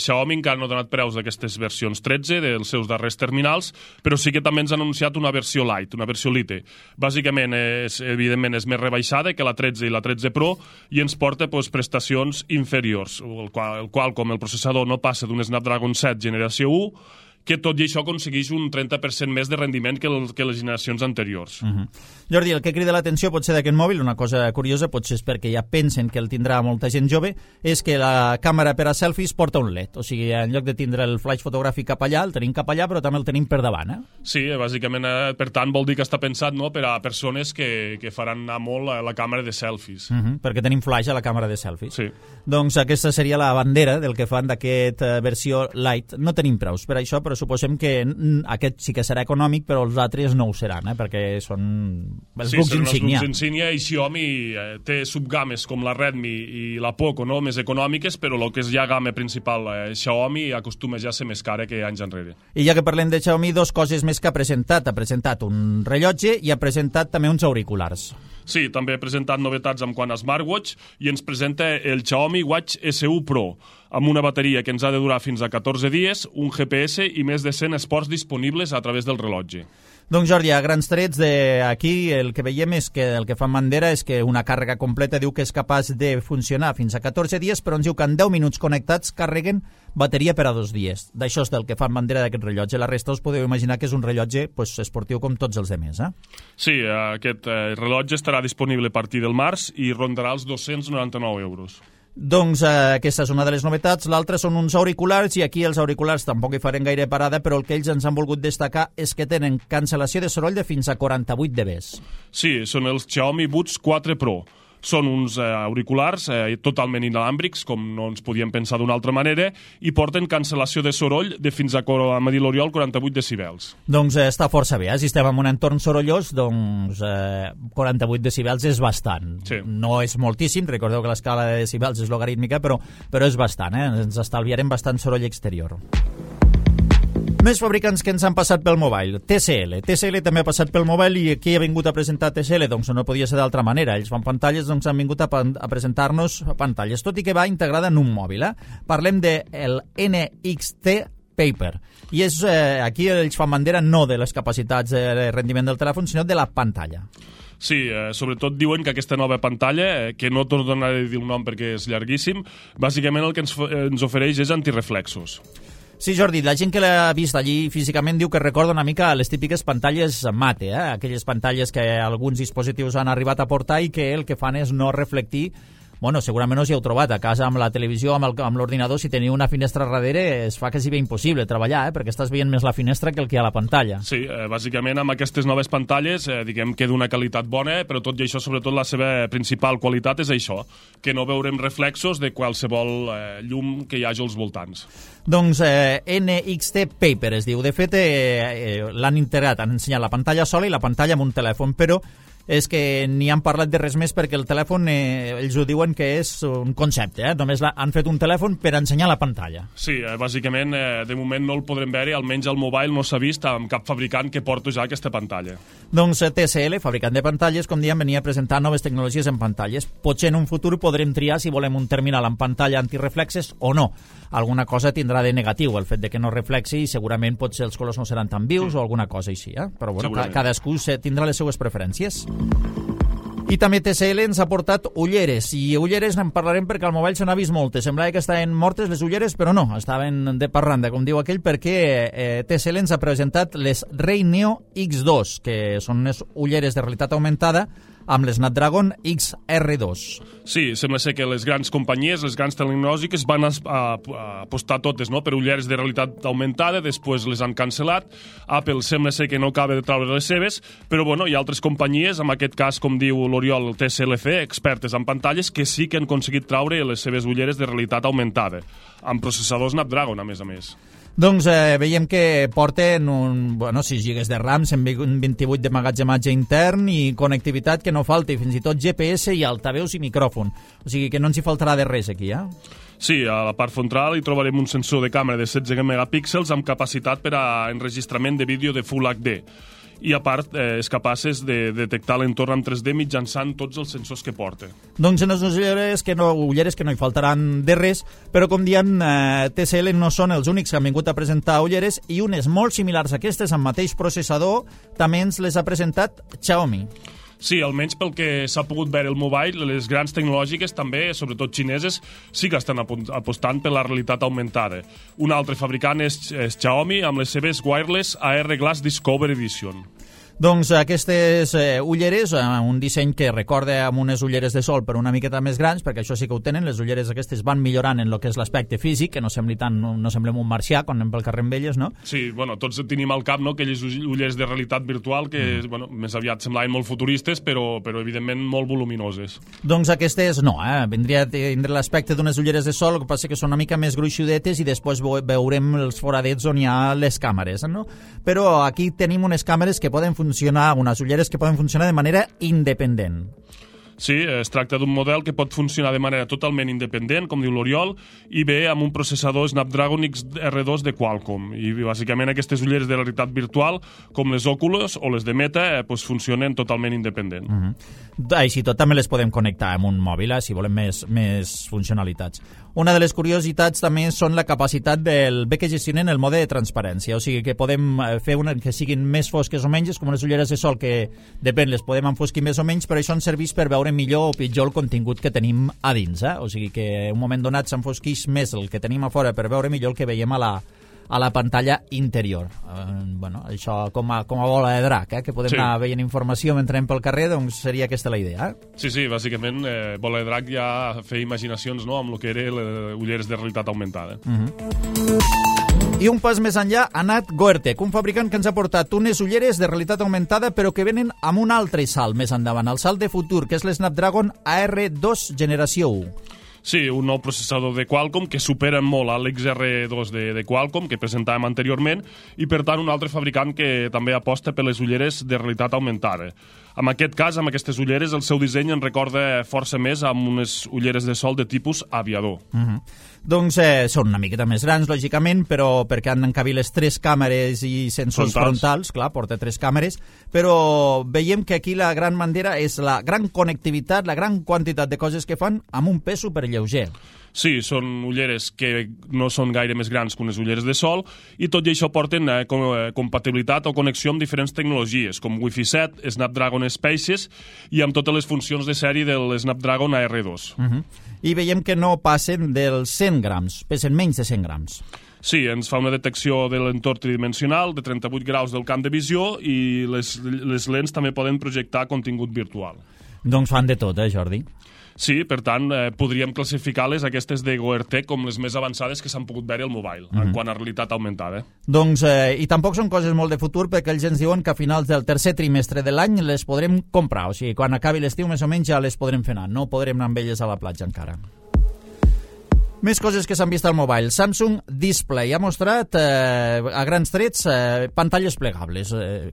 Xiaomi encara no ha donat preus d'aquestes versions 13 dels seus darrers terminals, però sí que també ens ha anunciat una versió Lite, una versió Lite. Bàsicament, evidentment, és més rebaixada que la 13 i la 13 Pro i ens porta prestacions inferiors, el qual com el processador no passa d'un Snapdragon 7 generació 1, que tot i això aconsegueix un 30% més de rendiment que les generacions anteriors. Jordi, el que crida l'atenció potser d'aquest mòbil, una cosa curiosa, potser és perquè ja pensen que el tindrà molta gent jove, és que la càmera per a selfies porta un LED. O sigui, en lloc de tindre el flash fotogràfic cap allà, el tenim cap allà, però també el tenim per davant. Sí, bàsicament, per tant, vol dir que està pensat per a persones que faran anar molt a la càmera de selfies. Perquè tenim flash a la càmera de selfies. Sí. Doncs aquesta seria la bandera del que fan d'aquesta versió Lite. No tenim preus per això, però suposem que aquest sí que serà econòmic, però els altres no ho seran, perquè són els bucs insígnia. Els bucs insígnia, i Xiaomi té subgames com la Redmi i la Poco, més econòmiques, però el que és ja gamma principal, Xiaomi acostuma ja a ser més cara que anys enrere. I ja que parlem de Xiaomi, 2 coses més que ha presentat. Ha presentat un rellotge i ha presentat també uns auriculars. Sí, també ha presentat novetats en quant a smartwatch i ens presenta el Xiaomi Watch SU Pro, amb una bateria que ens ha de durar fins a 14 dies, un GPS i més de 100 esports disponibles a través del rellotge. Doncs Jordi, a grans trets aquí el que veiem és que el que fa Mandera és que una càrrega completa diu que és capaç de funcionar fins a 14 dies, però ens diu que en 10 minuts connectats carreguen bateria per a 2 dies. D'això és del que fa Mandera d'aquest rellotge. La resta us podeu imaginar que és un rellotge esportiu com tots els demés. Sí, aquest rellotge estarà disponible a partir del març i rondarà els 299 euros. Doncs aquesta és una de les novetats. L'altra són uns auriculars, i aquí els auriculars tampoc hi farem gaire parada, però el que ells ens han volgut destacar és que tenen cancel·lació de soroll de fins a 48 dB. Sí, són els Xiaomi Buds 4 Pro. Són uns auriculars totalment inalàmbrics, com no ens podíem pensar d'una altra manera, i porten cancel·lació de soroll de fins a, m'ha dit l'Oriol, 48 decibels. Doncs està força bé, si estem en un entorn sorollós, doncs 48 decibels és bastant. Sí. No és moltíssim, recordeu que l'escala de decibels és logarítmica, però és bastant, ens estalviarem bastant soroll exterior. Més fabricants que ens han passat pel mobile. TCL també ha passat pel mobile, i aquí ha vingut a presentar TCL, doncs no podia ser d'altra manera. Ells fan pantalles, doncs han vingut a presentar-nos pantalles, tot i que va integrada en un mòbil. Parlem del NXT Paper. I és aquí ells fan bandera no de les capacitats de rendiment del telèfon, sinó de la pantalla. Sí, sobretot diuen que aquesta nova pantalla, que no tornaré a dir el nom perquè és llarguíssim, bàsicament el que ens ofereix és antireflexos. Sí, Jordi, la gent que l'ha vist allí físicament diu que recorda una mica les típiques pantalles mate, aquelles pantalles que alguns dispositius han arribat a portar i que el que fan és no reflectir. Bueno, segurament us hi heu trobat a casa amb la televisió, amb l'ordinador, si teniu una finestra darrere es fa quasi bé impossible treballar, perquè estàs veient més la finestra que el que hi ha a la pantalla. Sí, bàsicament amb aquestes noves pantalles diguem que d'una qualitat bona, però tot i això, sobretot la seva principal qualitat és això, que no veurem reflexos de qualsevol llum que hi hagi als voltants. Doncs NXT Paper es diu. De fet, l'han integrat, han ensenyat la pantalla sola i la pantalla amb un telèfon, però és que ni han parlat de res més perquè el telèfon, ells ho diuen que és un concepte, només han fet un telèfon per ensenyar la pantalla. Sí, bàsicament, de moment no el podrem veure, almenys al mobile no s'ha vist amb cap fabricant que porta ja aquesta pantalla. Doncs TCL, fabricant de pantalles, com diem, venia a presentar noves tecnologies en pantalles. Potser en un futur podrem triar si volem un terminal amb pantalla antireflexes o no. Alguna cosa tindrà de negatiu, el fet de que no reflexi, i segurament potser els colors no seran tan vius o alguna cosa així, però bueno, cadascú tindrà les seues preferències. I també TCL ens ha portat ulleres, i ulleres en parlarem perquè al mobile se n'ha vist moltes. Semblava que estaven mortes les ulleres, però no, estaven de parranda, com diu aquell, perquè TCL ens ha presentat les Ray Neo X2, que són unes ulleres de realitat augmentada amb les Snapdragon XR2. Sí, sembla ser que les grans companyies, les grans tecnològiques van apostar totes per ulleres de realitat augmentada, després les han cancel·lat. Apple sembla ser que no acaba de treure les seves, però bueno, hi ha altres companyies, en aquest cas, com diu l'Oriol, el TCLC, expertes en pantalles, que sí que han aconseguit treure les seves ulleres de realitat augmentada, amb processador Snapdragon, a més. Doncs veiem que porten 6 GB de RAM, 128 de magatzematge intern i connectivitat que no falti, fins i tot GPS i altaveus i micròfon. O sigui que no ens hi faltarà de res aquí, Sí, a la part frontal hi trobarem un sensor de càmera de 16 megapíxels amb capacitat per a enregistrament de vídeo de Full HD. I a part és capaces de detectar l'entorn en 3D mitjançant tots els sensors que porta. Doncs en les ulleres que no hi faltaran de res, però com diem, TCL no són els únics que han vingut a presentar ulleres, i unes molt similars a aquestes, amb mateix processador, també ens les ha presentat Xiaomi. Sí, almenys pel que s'ha pogut veure el mobile, les grans tecnològiques també, sobretot xineses, sí que estan apostant per la realitat augmentada. Un altre fabricant és Xiaomi amb les seves Wireless AR Glass Discover Edition. Doncs aquestes ulleres, un disseny que recorda amb unes ulleres de sol però una miqueta més grans, perquè això sí que ho tenen, les ulleres aquestes van millorant en el que és l'aspecte físic, que no semblem un marcià quan anem pel carrer amb elles, no? Sí, bueno, tots tenim al cap, no?, aquelles ulleres de realitat virtual que, bueno, més aviat semblaven molt futuristes, però evidentment molt voluminoses. Doncs aquestes no, vindria a tindre l'aspecte d'unes ulleres de sol, el que passa que són una mica més gruixudetes i després veurem els foradets on hi ha les càmeres, no? Però aquí tenim unes càmeres que poden funcionar, unes ulleres que poden funcionar de manera independent. Sí, es tracta d'un model que pot funcionar de manera totalment independent, com diu l'Oriol, i ve amb un processador Snapdragon XR2 de Qualcomm. I bàsicament aquestes ulleres de realitat virtual, com les Oculus o les de Meta, funcionen totalment independent. Així tot també les podem connectar amb un mòbil, si volem més funcionalitats. Una de les curiositats també són la capacitat del bé que gestionen el mode de transparència, o sigui que podem fer que siguin més fosques o menys, com unes ulleres de sol que depèn, les podem enfosquir més o menys, però això ens serveix per veure millor o pitjor el contingut que tenim a dins, o sigui que en un moment donat s'enfosqueix més el que tenim a fora per veure millor el que veiem a la pantalla interior. Això com a bola de drac, que podem anar veient informació mentre anem pel carrer, doncs seria aquesta la idea. Sí, bàsicament, bola de drac ja feia imaginacions amb el que eren les ulleres de realitat augmentada. I un pas més enllà ha anat Goertek, un fabricant que ens ha portat unes ulleres de realitat augmentada però que venen amb un altre salt més endavant, el salt de futur, que és l'Snapdragon AR2 generació 1. Sí, un nou processador de Qualcomm que supera molt a l'XR2 de Qualcomm que presentàvem anteriorment i per tant un altre fabricant que també aposta per les ulleres de realitat augmentada. En aquest cas, amb aquestes ulleres, el seu disseny ens recorda força més amb unes ulleres de sol de tipus aviador. Doncs són una miqueta més grans, lògicament, però perquè han d'encabir les 3 càmeres i sensors frontals, clar, porta 3 càmeres, però veiem que aquí la gran bandera és la gran connectivitat, la gran quantitat de coses que fan amb un pes superlleuger. Sí, són ulleres que no són gaire més grans que unes ulleres de sol i tot i això porten compatibilitat o connexió amb diferents tecnologies, com Wi-Fi 7, Snapdragon Spaces i amb totes les funcions de sèrie del Snapdragon AR2. I veiem que no passen dels 100 grams, pesen menys de 100 grams. Sí, ens fa una detecció de l'entorn tridimensional, de 38 graus del camp de visió i les lents també poden projectar contingut virtual. Doncs fan de tot, Jordi? Sí, per tant, podríem classificar-les aquestes de Goertek com les més avançades que s'han pogut veure al mobile, en quant a realitat augmentada. Doncs, i tampoc són coses molt de futur, perquè ells ens diuen que a finals del tercer trimestre de l'any les podrem comprar, o sigui, quan acabi l'estiu més o menys ja les podrem fer anar, no podrem anar amb elles a la platja encara. Més coses que s'han vist al mobile. Samsung Display ha mostrat a grans trets pantalles plegables.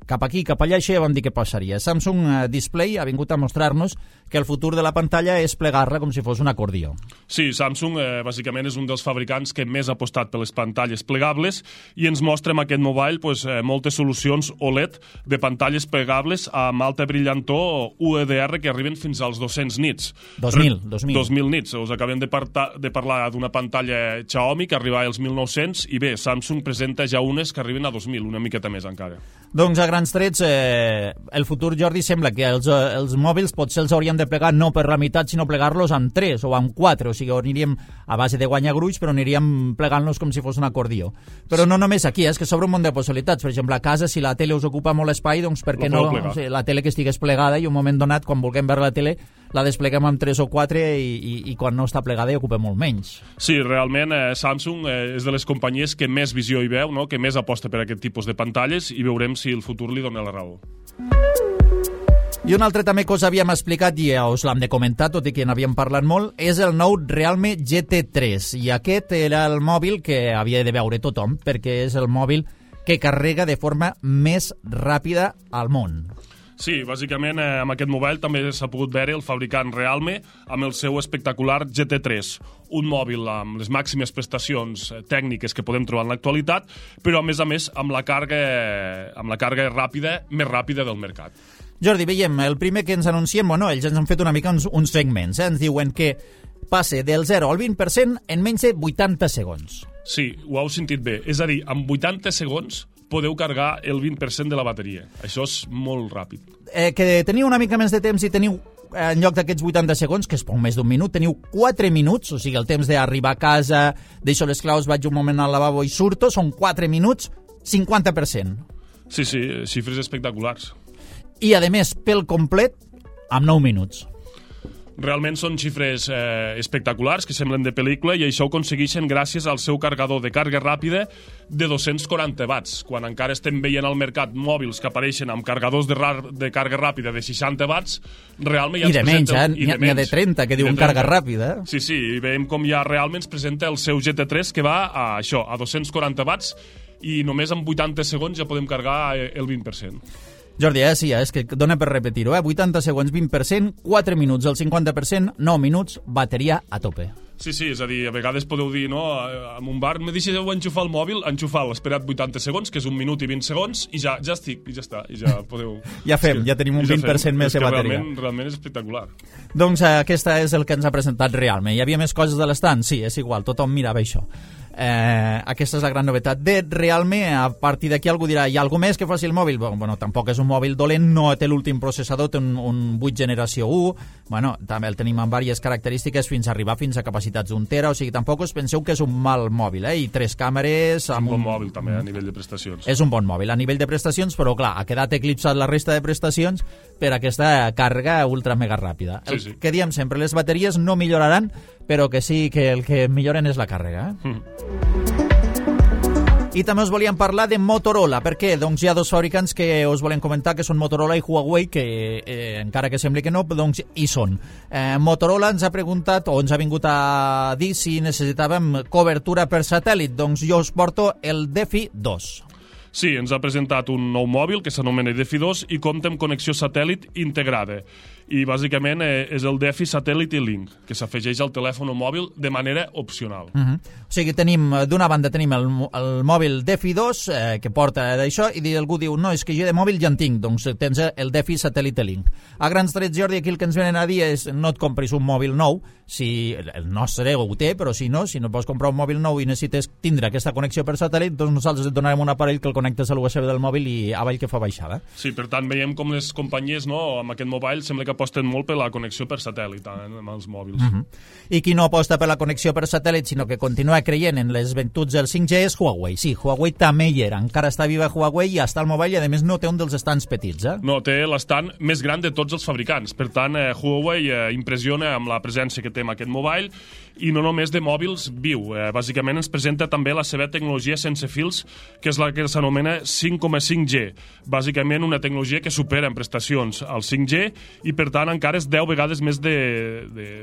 Cap aquí, cap allà, això ja vam dir que passaria. Samsung Display ha vingut a mostrar-nos que el futur de la pantalla és plegar-la com si fos un acordió. Sí, Samsung bàsicament és un dels fabricants que més ha apostat per les pantalles plegables i ens mostra amb aquest mobile moltes solucions OLED de pantalles plegables amb alta brillantor UHDR que arriben fins als 200 nits. 2.000 nits. Us acabem de parlar d'una pantalla Xiaomi que arriba als 1.900 i bé, Samsung presenta ja unes que arriben a 2.000, una miqueta més encara. Doncs a grans trets, el futur, Jordi, sembla que els mòbils potser els hauríem de plegar no per la meitat, sinó plegar-los amb 3 o amb 4, o sigui, aniríem a base de guanyar gruix, però aniríem plegant-los com si fos un acordió. Però no només aquí, és que s'obre un munt de possibilitats. Per exemple, a casa, si la tele us ocupa molt espai, doncs per què no la tele que estigués plegada i un moment donat, quan vulguem veure la tele, la despleguem amb 3 o 4 i quan no està plegada hi ocupa molt menys. Sí, realment Samsung és de les companyies que més visió hi veu, no? Que més aposta per aquest tipus de pantalles i veurem si el futur li dona la raó. I una altra també que us havíem explicat i us l'hem de comentar, tot i que n'havíem parlat molt, és el nou Realme GT3. I aquest era el mòbil que havia de veure tothom, perquè és el mòbil que carrega de forma més ràpida al món. Sí, bàsicament amb aquest mobile també s'ha pogut veure el fabricant Realme amb el seu espectacular GT3, un mòbil amb les màximes prestacions tècniques que podem trobar en l'actualitat, però a més amb la càrrega ràpida, més ràpida del mercat. Jordi, veiem, el primer que ens anunciem, ells ens han fet una mica uns segments, ens diuen que passe del 0 al 20% en menys de 80 segons. Sí, ho heu sentit bé, és a dir, en 80 segons podeu cargar el 20% de la bateria. Això és molt ràpid. Que teniu una mica més de temps i teniu, en lloc d'aquests 80 segons, que és poc més d'un minut, teniu 4 minuts, o sigui, el temps d'arribar a casa, deixo les claus, vaig un moment al lavabo i surto, són 4 minuts, 50%. Sí, xifres espectaculars. I, a més, pel complet, amb 9 minuts. Realment són xifres espectaculars que semblen de pel·lícula i això ho aconsegueixen gràcies al seu carregador de càrrega ràpida de 240 watts. Quan encara estem veient al mercat mòbils que apareixen amb carregadors de càrrega ràpida de 60 watts, realment ja ens presenta... I de menys, n'hi ha de 30 que diuen càrrega ràpida. Sí, i veiem com ja realment ens presenta el seu GT3 que va a 240 watts i només en 80 segons ja podem cargar el 20%. Jordi, sí, és que dona per repetir-ho, 80 segons, 20%, 4 minuts, el 50%, 9 minuts, bateria a tope. Sí, és a dir, a vegades podeu dir, no, en un bar, me deixeu enxufar el mòbil, enxufar-lo, esperat 80 segons, que és 1 minut i 20 segons, i ja estic, i ja està, i ja podeu... Ja tenim un 20% més de bateria. Realment és espectacular. Doncs aquesta és el que ens ha presentat realment. Hi havia més coses de l'estand? Sí, és igual, tothom mirava això. Aquesta és la gran novetat de Realme. A partir d'aquí algú dirà, hi ha alguna més que faci el mòbil? Bueno, tampoc és un mòbil dolent, no té l'últim processador, té un 8 generació 1, bueno, també el tenim amb diverses característiques fins a arribar fins a capacitats d'1 tera, o sigui, tampoc us penseu que és un mal mòbil, i 3 càmeres... És un bon mòbil també a nivell de prestacions. És un bon mòbil a nivell de prestacions, però clar, ha quedat eclipsat la resta de prestacions per aquesta càrrega ultra mega ràpida. El que diem sempre, les bateries no milloraran, però que sí que el que milloren és la càrrega. I també us volíem parlar de Motorola. Per què? Doncs hi ha dos fabricants que us volem comentar, que són Motorola i Huawei, que encara que sembli que no, doncs hi són. Motorola ens ha preguntat, o ens ha vingut a dir si necessitàvem cobertura per satèl·lit. Doncs jo us porto el Defi 2. Sí, ens ha presentat un nou mòbil que s'anomena Defi 2 i compta amb connexió satèl·lit integrada. I bàsicament és el Defi Satellite Link, que s'afegeix al telèfon o mòbil de manera opcional. O sigui, d'una banda tenim el mòbil Defi 2, que porta d'això, i algú diu, no, és que jo de mòbil ja en tinc, doncs tens el Defi Satellite Link. A grans trets, Jordi, aquí el que ens venen a dir és no et compris un mòbil nou, si el nostre ho té, però si no pots comprar un mòbil nou i necessites tindre aquesta connexió per satèl·lit, doncs nosaltres et donarem un aparell que el connectes a l'USB del mòbil i avall que fa baixada. Sí, per tant, veiem com les companyies, no, amb aquest mobile sembla que aposten molt per la connexió per satèl·lit amb els mòbils. I qui no aposta per la connexió per satèl·lit, sinó que continua creient en les virtuts del 5G és Huawei. Sí, Huawei també hi era. Encara està viva Huawei i està al mobile i a més no té un dels estands petits. No, té l'estant més gran de tots els fabricants. Per tant, Huawei impressiona amb la presència que té amb aquest mobile i no només de mòbils viu. Bàsicament ens presenta també la seva tecnologia sense fils, que és la que s'anomena 5,5G. Bàsicament una tecnologia que supera en prestacions al 5G i per tant encara és 10 vegades més de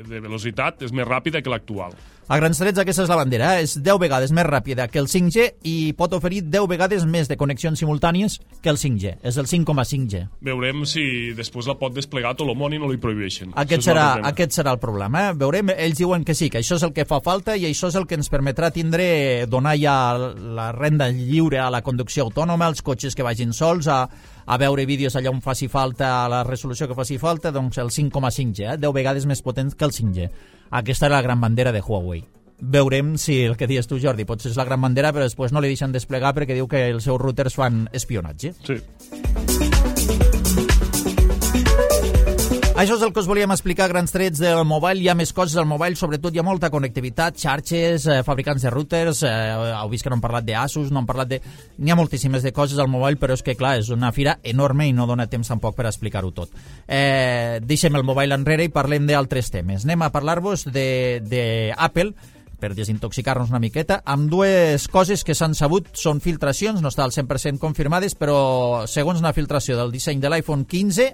velocitat, és més ràpida que l'actual. A grans trets aquesta és la bandera, és 10 vegades més ràpida que el 5G i pot oferir 10 vegades més de connexions simultànies que el 5G, és el 5,5G. Veurem si després la pot desplegar tot el món i no li prohibeixen. Aquest serà el problema. Veurem, ells diuen que sí, que això és el que fa falta i això és el que ens permetrà donar ja la renda lliure a la conducció autònoma, als cotxes que vagin sols, a veure vídeos allà on faci falta, a la resolució que faci falta, doncs el 5,5G, 10 vegades més potent que el 5G. Aquesta és la gran bandera de Huawei. Veurem si el que dius tu, Jordi, potser és la gran bandera, però després no li deixen desplegar perquè diu que els seus routers fan espionatge. Sí. Això és el que us volíem explicar a grans trets del mobile. Hi ha més coses al mobile, sobretot hi ha molta connectivitat, xarxes, fabricants de routers, heu vist que no han parlat d'Asus, no han parlat de... N'hi ha moltíssimes de coses al mobile, però és que, clar, és una fira enorme i no dona temps tampoc per explicar-ho tot. Deixem el mobile enrere i parlem d'altres temes. Anem a parlar-vos d'Apple, per desintoxicar-nos una miqueta, amb dues coses que s'han sabut, són filtracions, no està al 100% confirmades, però segons una filtració del disseny de l'iPhone 15,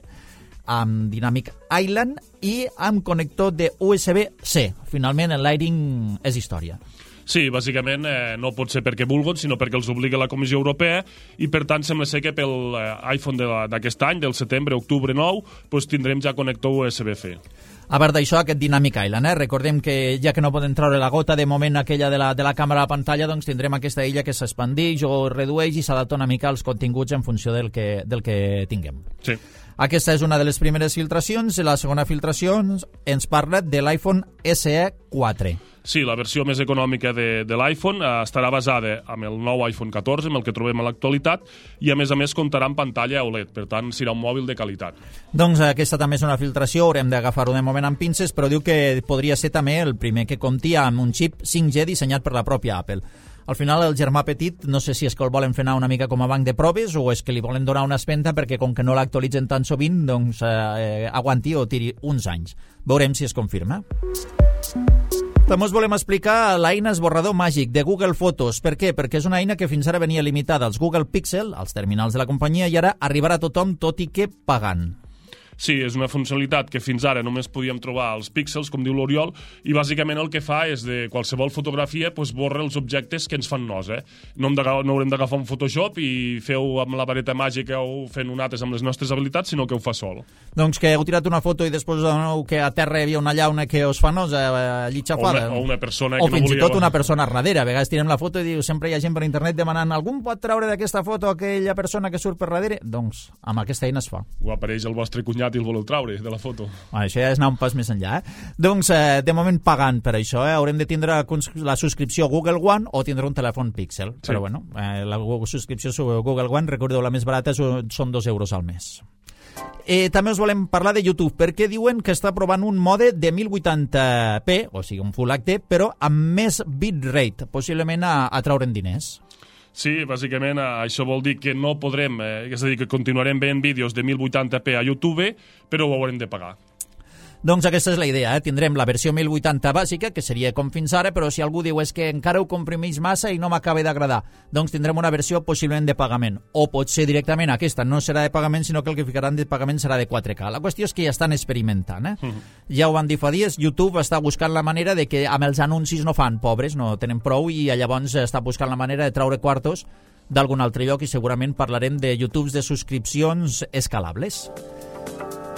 amb Dynamic Island i amb connector de USB-C. Finalment, el Lighting és història. Sí, bàsicament no pot ser perquè vulguin, sinó perquè els obliga la Comissió Europea i per tant sembla ser que pel iPhone d'aquest any, del setembre, octubre 9, doncs tindrem ja connector USB-C. A part d'això, aquest Dynamic Island, recordem que ja que no poden treure la gota de moment aquella de la càmera a la pantalla, doncs tindrem aquesta illa que s'expandeix o redueix i s'adapta una mica als continguts en funció del que tinguem. Sí. Aquesta és una de les primeres filtracions. La segona filtració ens parla de l'iPhone SE 4. Sí, la versió més econòmica de l'iPhone estarà basada amb el nou iPhone 14, amb el que trobem a l'actualitat, i a més comptarà amb pantalla OLED, per tant serà un mòbil de qualitat. Doncs aquesta també és una filtració, haurem d'agafar-ho de moment amb pinces, però diu que podria ser també el primer que compti amb un xip 5G dissenyat per la pròpia Apple. Al final el germà petit, no sé si és que el volen fer anar una mica com a banc de proves o és que li volen donar una espenta perquè com que no l'actualitzen tan sovint, doncs aguanti o tiri uns anys. Veurem si es confirma. També us volem explicar l'eina esborrador màgic de Google Fotos. Per què? Perquè és una eina que fins ara venia limitada als Google Pixel, als terminals de la companyia, i ara arribarà a tothom, tot i que pagant. Sí, és una funcionalitat que fins ara només podíem trobar als píxels, com diu l'Oriol, i bàsicament el que fa és de qualsevol fotografia borra els objectes que ens fan nos. No haurem d'agafar un Photoshop i fer-ho amb la vareta màgica o fent nosaltres amb les nostres habilitats, sinó que ho fa sol. Doncs que heu tirat una foto i després que a terra hi havia una llauna que us fa nos allí xafada. O una persona que o no fins volia... i tot una persona darrere. A vegades tirem la foto i diu, sempre hi ha gent per internet demanant algun pot treure d'aquesta foto aquella persona que surt per darrere? Doncs amb aquesta eina es fa. O apareix el vostre cunyat i el voleu treure de la foto. Això ja és anar un pas més enllà. Doncs, de moment pagant per això. Haurem de tindre la subscripció Google One o tindre un telèfon Pixel. Sí. Però bueno, la subscripció Google One, recordeu, la més barata són 2 euros al mes. També us volem parlar de YouTube, perquè diuen que està provant un mode de 1080p, o sigui, un Full HD, però amb més bitrate, possiblement a treure'n diners. Sí, bàsicament això vol dir que no podrem, és a dir, que continuarem veient vídeos de 1080p a YouTube, però ho haurem de pagar. Doncs aquesta és la idea, tindrem la versió 1080 bàsica, que seria com fins ara, però si algú diu és que encara ho comprimeix massa i no m'acaba d'agradar, doncs tindrem una versió possiblement de pagament, o potser directament aquesta no serà de pagament, sinó que el que ficaran de pagament serà de 4K. La qüestió és que ja estan experimentant. Ja ho van dir fa dies, YouTube està buscant la manera de que amb els anuncis no fan, pobres, no tenen prou, i llavors està buscant la manera de treure quartos d'algun altre lloc, i segurament parlarem de YouTubes de subscripcions escalables.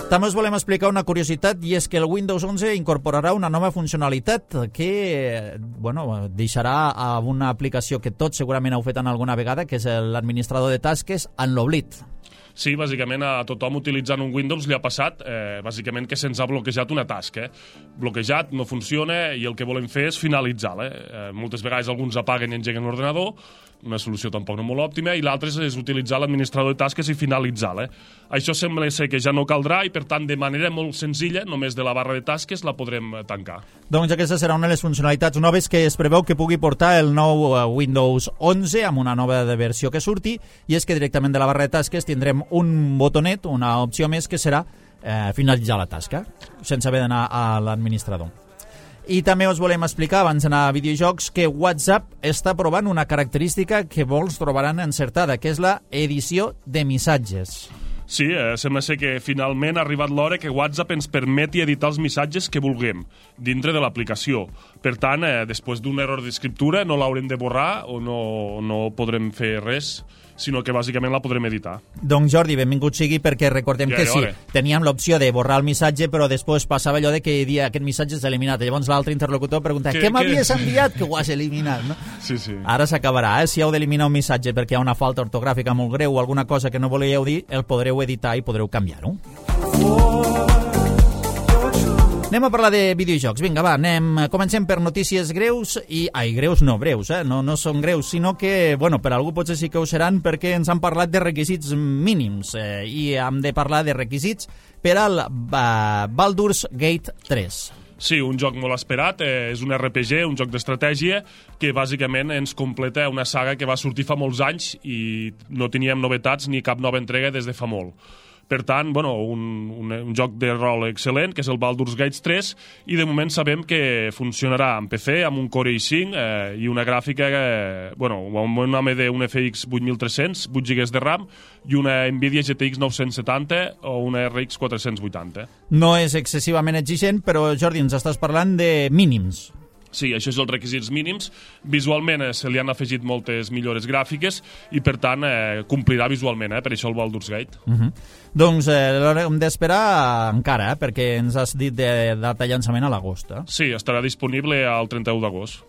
També us volem explicar una curiositat, i és que el Windows 11 incorporarà una nova funcionalitat que deixarà a una aplicació que tots segurament heu fet en alguna vegada, que és l'administrador de tasques, en l'oblit. Sí, bàsicament a tothom utilitzant un Windows li ha passat bàsicament que se'ns ha bloquejat una tasca. Bloquejat, no funciona, i el que volem fer és finalitzar-la. Moltes vegades alguns apaguen i engeguen l'ordenador, una solució tampoc no molt òptima, i l'altre és utilitzar l'administrador de tasques i finalitzar-la. Això sembla ser que ja no caldrà i, per tant, de manera molt senzilla, només de la barra de tasques, la podrem tancar. Doncs aquesta serà una de les funcionalitats noves que es preveu que pugui portar el nou Windows 11 amb una nova versió que surti, i és que directament de la barra de tasques tindrem un botonet, una opció més, que serà finalitzar la tasca, sense haver d'anar a l'administrador. I també us volem explicar, abans d'anar a videojocs, que WhatsApp està provant una característica que molts trobaran encertada, que és la edició de missatges. Sí, sembla ser que finalment ha arribat l'hora que WhatsApp ens permeti editar els missatges que vulguem dintre de l'aplicació. Per tant, després d'un error d'escriptura no l'haurem de borrar o no podrem fer res, sinó que bàsicament la podrem editar. Doncs Jordi, benvingut sigui, perquè recordem que sí, teníem l'opció de borrar el missatge, però després passava allò de que dia aquest missatge s'ha eliminat. Llavors l'altre interlocutor pregunta, què m'havies enviat que ho has eliminat? No? Sí, sí. Ara s'acabarà, si heu d'eliminar un missatge perquè hi ha una falta ortogràfica molt greu o alguna cosa que no volíeu dir, el podreu editar i podreu canviar-ho. Anem a parlar de videojocs. Vinga, va, comencem per notícies greus greus, no són greus, sinó que, per algú potser sí que ho seran, perquè ens han parlat de requisits mínims i hem de parlar de requisits per al Baldur's Gate 3. Sí, un joc molt esperat, és un RPG, un joc d'estratègia, que bàsicament ens completa una saga que va sortir fa molts anys i no teníem novetats ni cap nova entrega des de fa molt. Per tant, un joc de rol excel·lent, que és el Baldur's Gate 3, i de moment sabem que funcionarà en PC amb un Core i5 i una gràfica, amb un AMD, un FX 8300, 8 GB de RAM, i una Nvidia GTX 970 o una RX 480. No és excessivament exigent, però Jordi, ens estàs parlant de mínims. Sí, això és els requisits mínims. Visualment se li han afegit moltes millores gràfiques i, per tant, complirà visualment, per això el Baldur's Gate. Doncs l'haurem d'esperar encara, perquè ens has dit de data de llançament a l'agost. Sí, estarà disponible el 31 d'agost.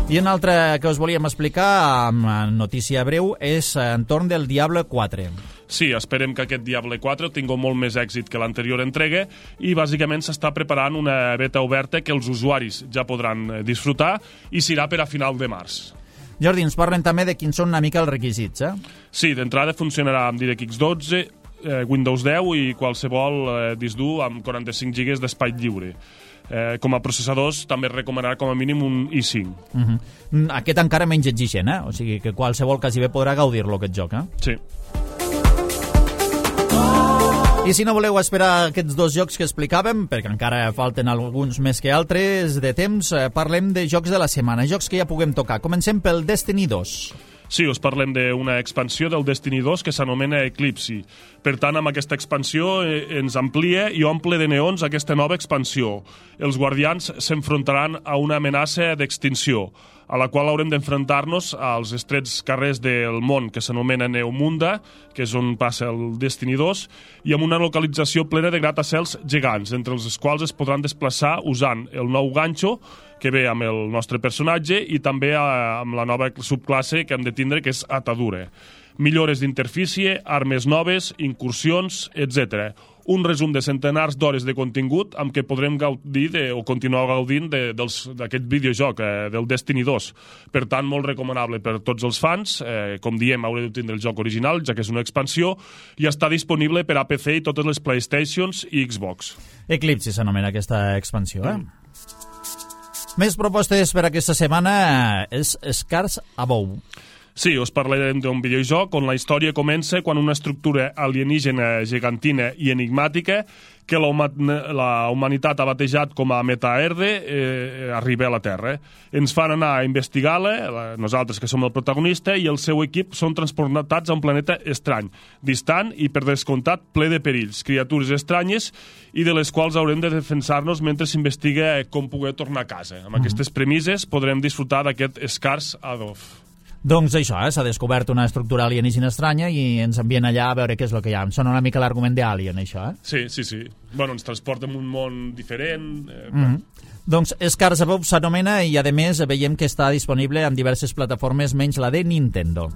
I una altra que us volíem explicar, amb notícia breu, és entorn del Diablo 4. Sí, esperem que aquest Diablo 4 tingui molt més èxit que l'anterior entrega i bàsicament s'està preparant una beta oberta que els usuaris ja podran disfrutar i serà per a final de març. Jordi, ens parlen també de quins són una mica els requisits, Sí, d'entrada funcionarà amb DirectX 12, Windows 10 i qualsevol disc dur amb 45 GB d'espai lliure. Com a processadors també recomanarà com a mínim un i5. Aquest encara menys exigent, o sigui que qualsevol quasi bé podrà gaudir-lo, aquest joc. Sí. I si no voleu esperar aquests dos jocs que explicàvem, perquè encara falten alguns més que altres de temps, parlem de jocs de la setmana, jocs que ja puguem tocar. Comencem pel Destiny 2. Sí, us parlem d'una expansió del Destiny 2 que s'anomena Eclipse. Per tant, amb aquesta expansió ens amplia i omple de neons aquesta nova expansió. Els guardians s'enfrontaran a una amenaça d'extinció, a la qual haurem d'enfrontar-nos als estrets carrers del món que s'anomena Neomunda, que és on passa el Destiny 2, i amb una localització plena de gratacels gegants, entre els quals es podran desplaçar usant el nou ganxo que ve amb el nostre personatge i també amb la nova subclasse que hem de tindre, que és Atadura. Millores d'interfície, armes noves, incursions, etc. Un resum de centenars d'hores de contingut amb què podrem gaudir o continuar gaudint d'aquest videojoc, del Destiny 2. Per tant, molt recomanable per tots els fans. Com diem, haureu de tindre el joc original, ja que és una expansió, i està disponible per a PC i totes les PlayStations i Xbox. Eclipse s'anomena aquesta expansió, Més propostes per aquesta setmana és Scars Above. Sí, us parlarem d'un videojoc on la història comença quan una estructura alienígena gegantina i enigmàtica que la humanitat ha batejat com a Metaerde arriba a la Terra. Ens fan anar a investigar-la, nosaltres que som el protagonista, i el seu equip són transportats a un planeta estrany, distant i, per descomptat, ple de perills, criatures estranyes i de les quals haurem de defensar-nos mentre s'investiga com poder tornar a casa. Amb aquestes premisses podrem disfrutar d'aquest Scars Above. Doncs això, s'ha descobert una estructura alienígena estranya i ens envien allà a veure què és el que hi ha. Em sona una mica l'argument d'Alien, això, Sí. Bueno, ens transporta en un món diferent. Doncs Scars Above s'anomena i, a més, veiem que està disponible en diverses plataformes menys la de Nintendo.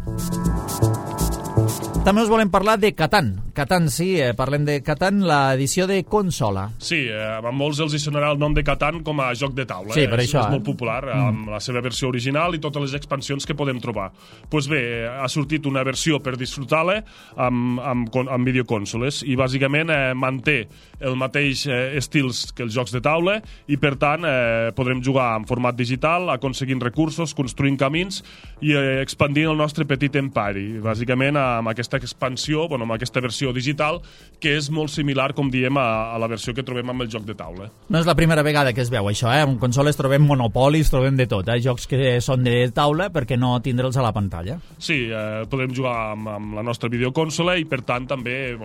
També us volem parlar de Catan. Catan, sí, parlem de Catan, l'edició de consola. Sí, a molts els hi sonarà el nom de Catan com a joc de taula. Sí, per això. És molt popular, amb la seva versió original i totes les expansions que podem trobar. Doncs bé, ha sortit una versió per disfrutar-la amb videoconsoles i bàsicament manté el mateix estils que els jocs de taula i, per tant, podrem jugar en format digital, aconseguint recursos, construint camins i expandint el nostre petit empari. Bàsicament, amb aquesta expansió, amb aquesta versió digital, que és molt similar, com diem, a la versió que trobem amb el joc de taula. No és la primera vegada que es veu això, En consoles trobem monopolis, trobem de tot, jocs que són de taula perquè no tindre'ls a la pantalla. Sí, podem jugar amb la nostra videoconsola i, per tant, també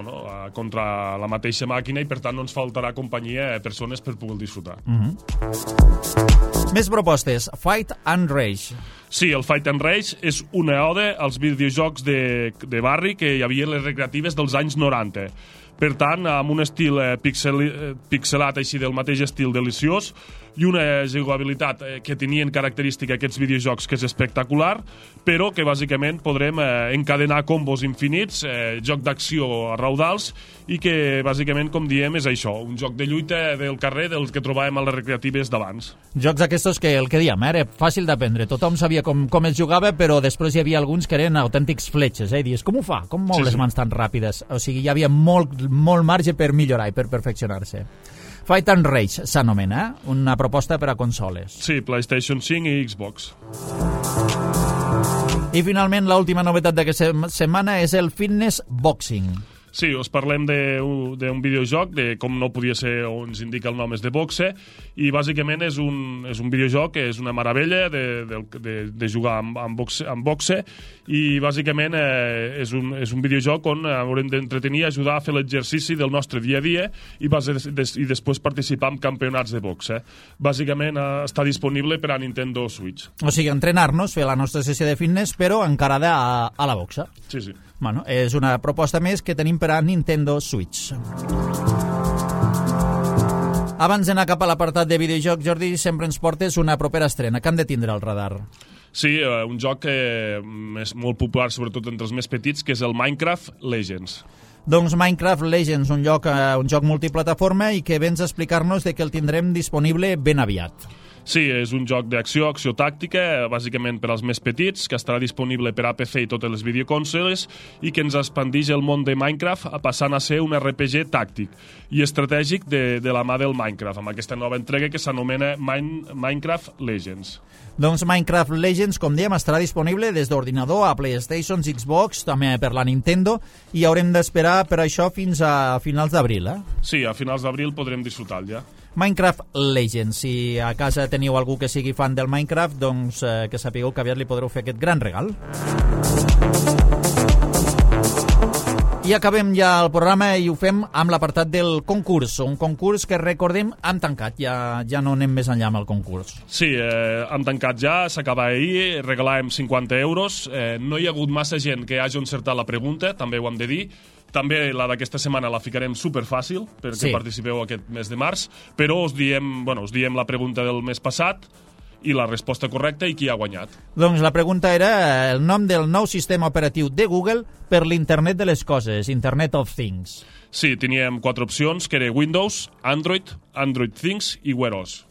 contra la mateixa màquina i, per tant, no ens faltarà companyia a persones per poder disfrutar. Més propostes. Fight and Rage. Sí, el Fight and Rage és una ode als videojocs de barri que hi havia a les recreatives dels anys 90. Per tant, amb un estil pixelat així del mateix estil deliciós i una jugabilitat que tenien característica aquests videojocs que és espectacular, però que bàsicament podrem encadenar combos infinits, joc d'acció a raudals i que bàsicament, com diem, és això, un joc de lluita del carrer del que trobàvem a les recreatives d'abans. Jocs aquests que el que diem, era fàcil d'aprendre, tothom sabia com es jugava, però després hi havia alguns que eren autèntics fletxes, i dius, com ho fa? Com mou les mans tan ràpides? O sigui, hi havia molt marge per millorar i per perfeccionar-se. Fight and Rage s'anomena, una proposta per a consoles. Sí, PlayStation 5 i Xbox. I finalment, l'última novetat d'aquesta setmana és el Fitness Boxing. Sí, us parlem d'un videojoc, com no podia ser, on ens indica el nom, és de boxe, i bàsicament és un videojoc que és una meravella de jugar amb boxe, i bàsicament és un videojoc on haurem d'entretenir i ajudar a fer l'exercici del nostre dia a dia i després participar en campionats de boxe. Bàsicament està disponible per a Nintendo Switch. O sigui, entrenar-nos, fer la nostra sessió de fitness, però encarada a la boxa. Sí. Bueno, és una proposta més que tenim per a Nintendo Switch. Abans d'anar cap a l'apartat de videojoc, Jordi, sempre ens portes una propera estrena. Que han de tindre al radar? Sí, un joc que és molt popular, sobretot entre els més petits, que és el Minecraft Legends. Doncs Minecraft Legends, un joc multiplataforma i que vens a explicar-nos que el tindrem disponible ben aviat. Sí, és un joc d'acció tàctica, bàsicament per als més petits, que estarà disponible per a PC i totes les videoconsoles i que ens expandix el món de Minecraft passant a ser un RPG tàctic i estratègic de la mà del Minecraft, amb aquesta nova entrega que s'anomena Minecraft Legends. Doncs Minecraft Legends, com dèiem, estarà disponible des d'ordinador a PlayStation, Xbox, també per la Nintendo, i haurem d'esperar per això fins a finals d'abril, Sí, a finals d'abril podrem disfrutar ja. Minecraft Legends. Si a casa teniu algú que sigui fan del Minecraft, doncs que sapigueu que aviat li podreu fer aquest gran regal. I acabem ja el programa i ho fem amb l'apartat del concurs, un concurs que recordem hem tancat, ja no anem més enllà amb el concurs. Sí, hem tancat ja, s'acaba ahir, regalàvem 50 euros, no hi ha hagut massa gent que hagi encertat la pregunta, també ho hem de dir, també la d'aquesta setmana la ficarem superfàcil perquè participeu aquest mes de març, però us diem la pregunta del mes passat, i la resposta correcta i qui ha guanyat. Doncs la pregunta era el nom del nou sistema operatiu de Google per l'Internet de les coses, Internet of Things. Sí, teníem 4 opcions, que era Windows, Android, Android Things i Wear OS.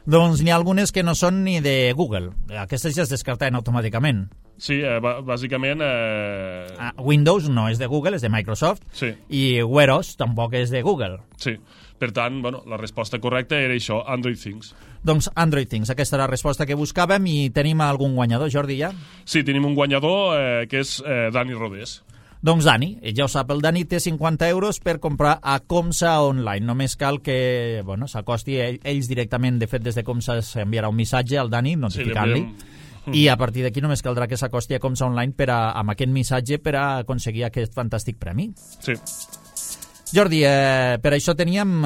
Doncs n'hi ha algunes que no són ni de Google. Aquestes ja es descartaven automàticament. Sí, bàsicament... Windows no és de Google, és de Microsoft. Sí. I Wear OS tampoc és de Google. Sí. Per tant, la resposta correcta era això, Android Things. Doncs Android Things, aquesta era la resposta que buscàvem i tenim algun guanyador, Jordi, ja? Sí, tenim un guanyador que és Dani Rodés. Doncs Dani, ja ho sap, el Dani té 50 euros per comprar a Comsa Online. Només cal que s'acosti ells directament, de fet des de Comsa s'enviarà un missatge al Dani notificant-li. I a partir d'aquí només caldrà que s'acosti a Comsa Online amb aquest missatge per a aconseguir aquest fantàstic premi. Sí. Jordi, per això teníem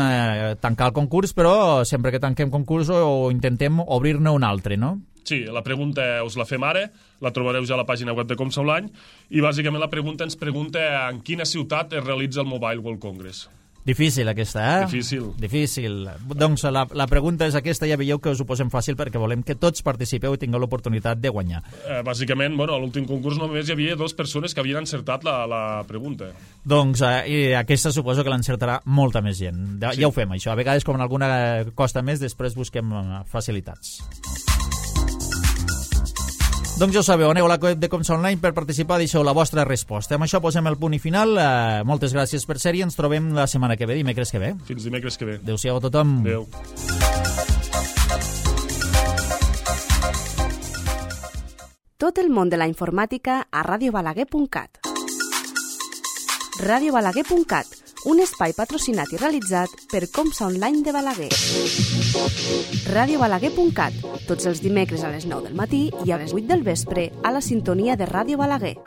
tancar el concurs, però sempre que tanquem concurs o intentem obrir-ne un altre, no? Sí, la pregunta us la fem ara, la trobareu ja a la pàgina web de Comsa Online, i bàsicament la pregunta ens pregunta en quina ciutat es realitza el Mobile World Congress. Difícil aquesta, Difícil. Doncs la pregunta és aquesta, ja veieu que us ho posem fàcil perquè volem que tots participeu i tingueu l'oportunitat de guanyar. Bàsicament, a l'últim concurs només hi havia 2 persones que havien encertat la pregunta. Doncs aquesta suposo que l'encertarà molta més gent. Ja ho fem, això. A vegades, com en alguna costa més, després busquem facilitats. Doncs ja ho sabeu, aneu a la web de Comsa Online per participar, deixeu la vostra resposta. Amb això posem el punt i final. Moltes gràcies per ser-hi, ens trobem la setmana que ve, dimecres que ve. Fins dimecres que ve. Adéu-siau a tothom. Adéu. Tot el món de la informàtica a radiobalaguer.cat. radiobalaguer.cat, un espai patrocinat i realitzat per Comsa Online de Balaguer. radiobalaguer.cat, tots els dimecres a les 9 del matí i a les 8 del vespre a la sintonia de Ràdio Balaguer.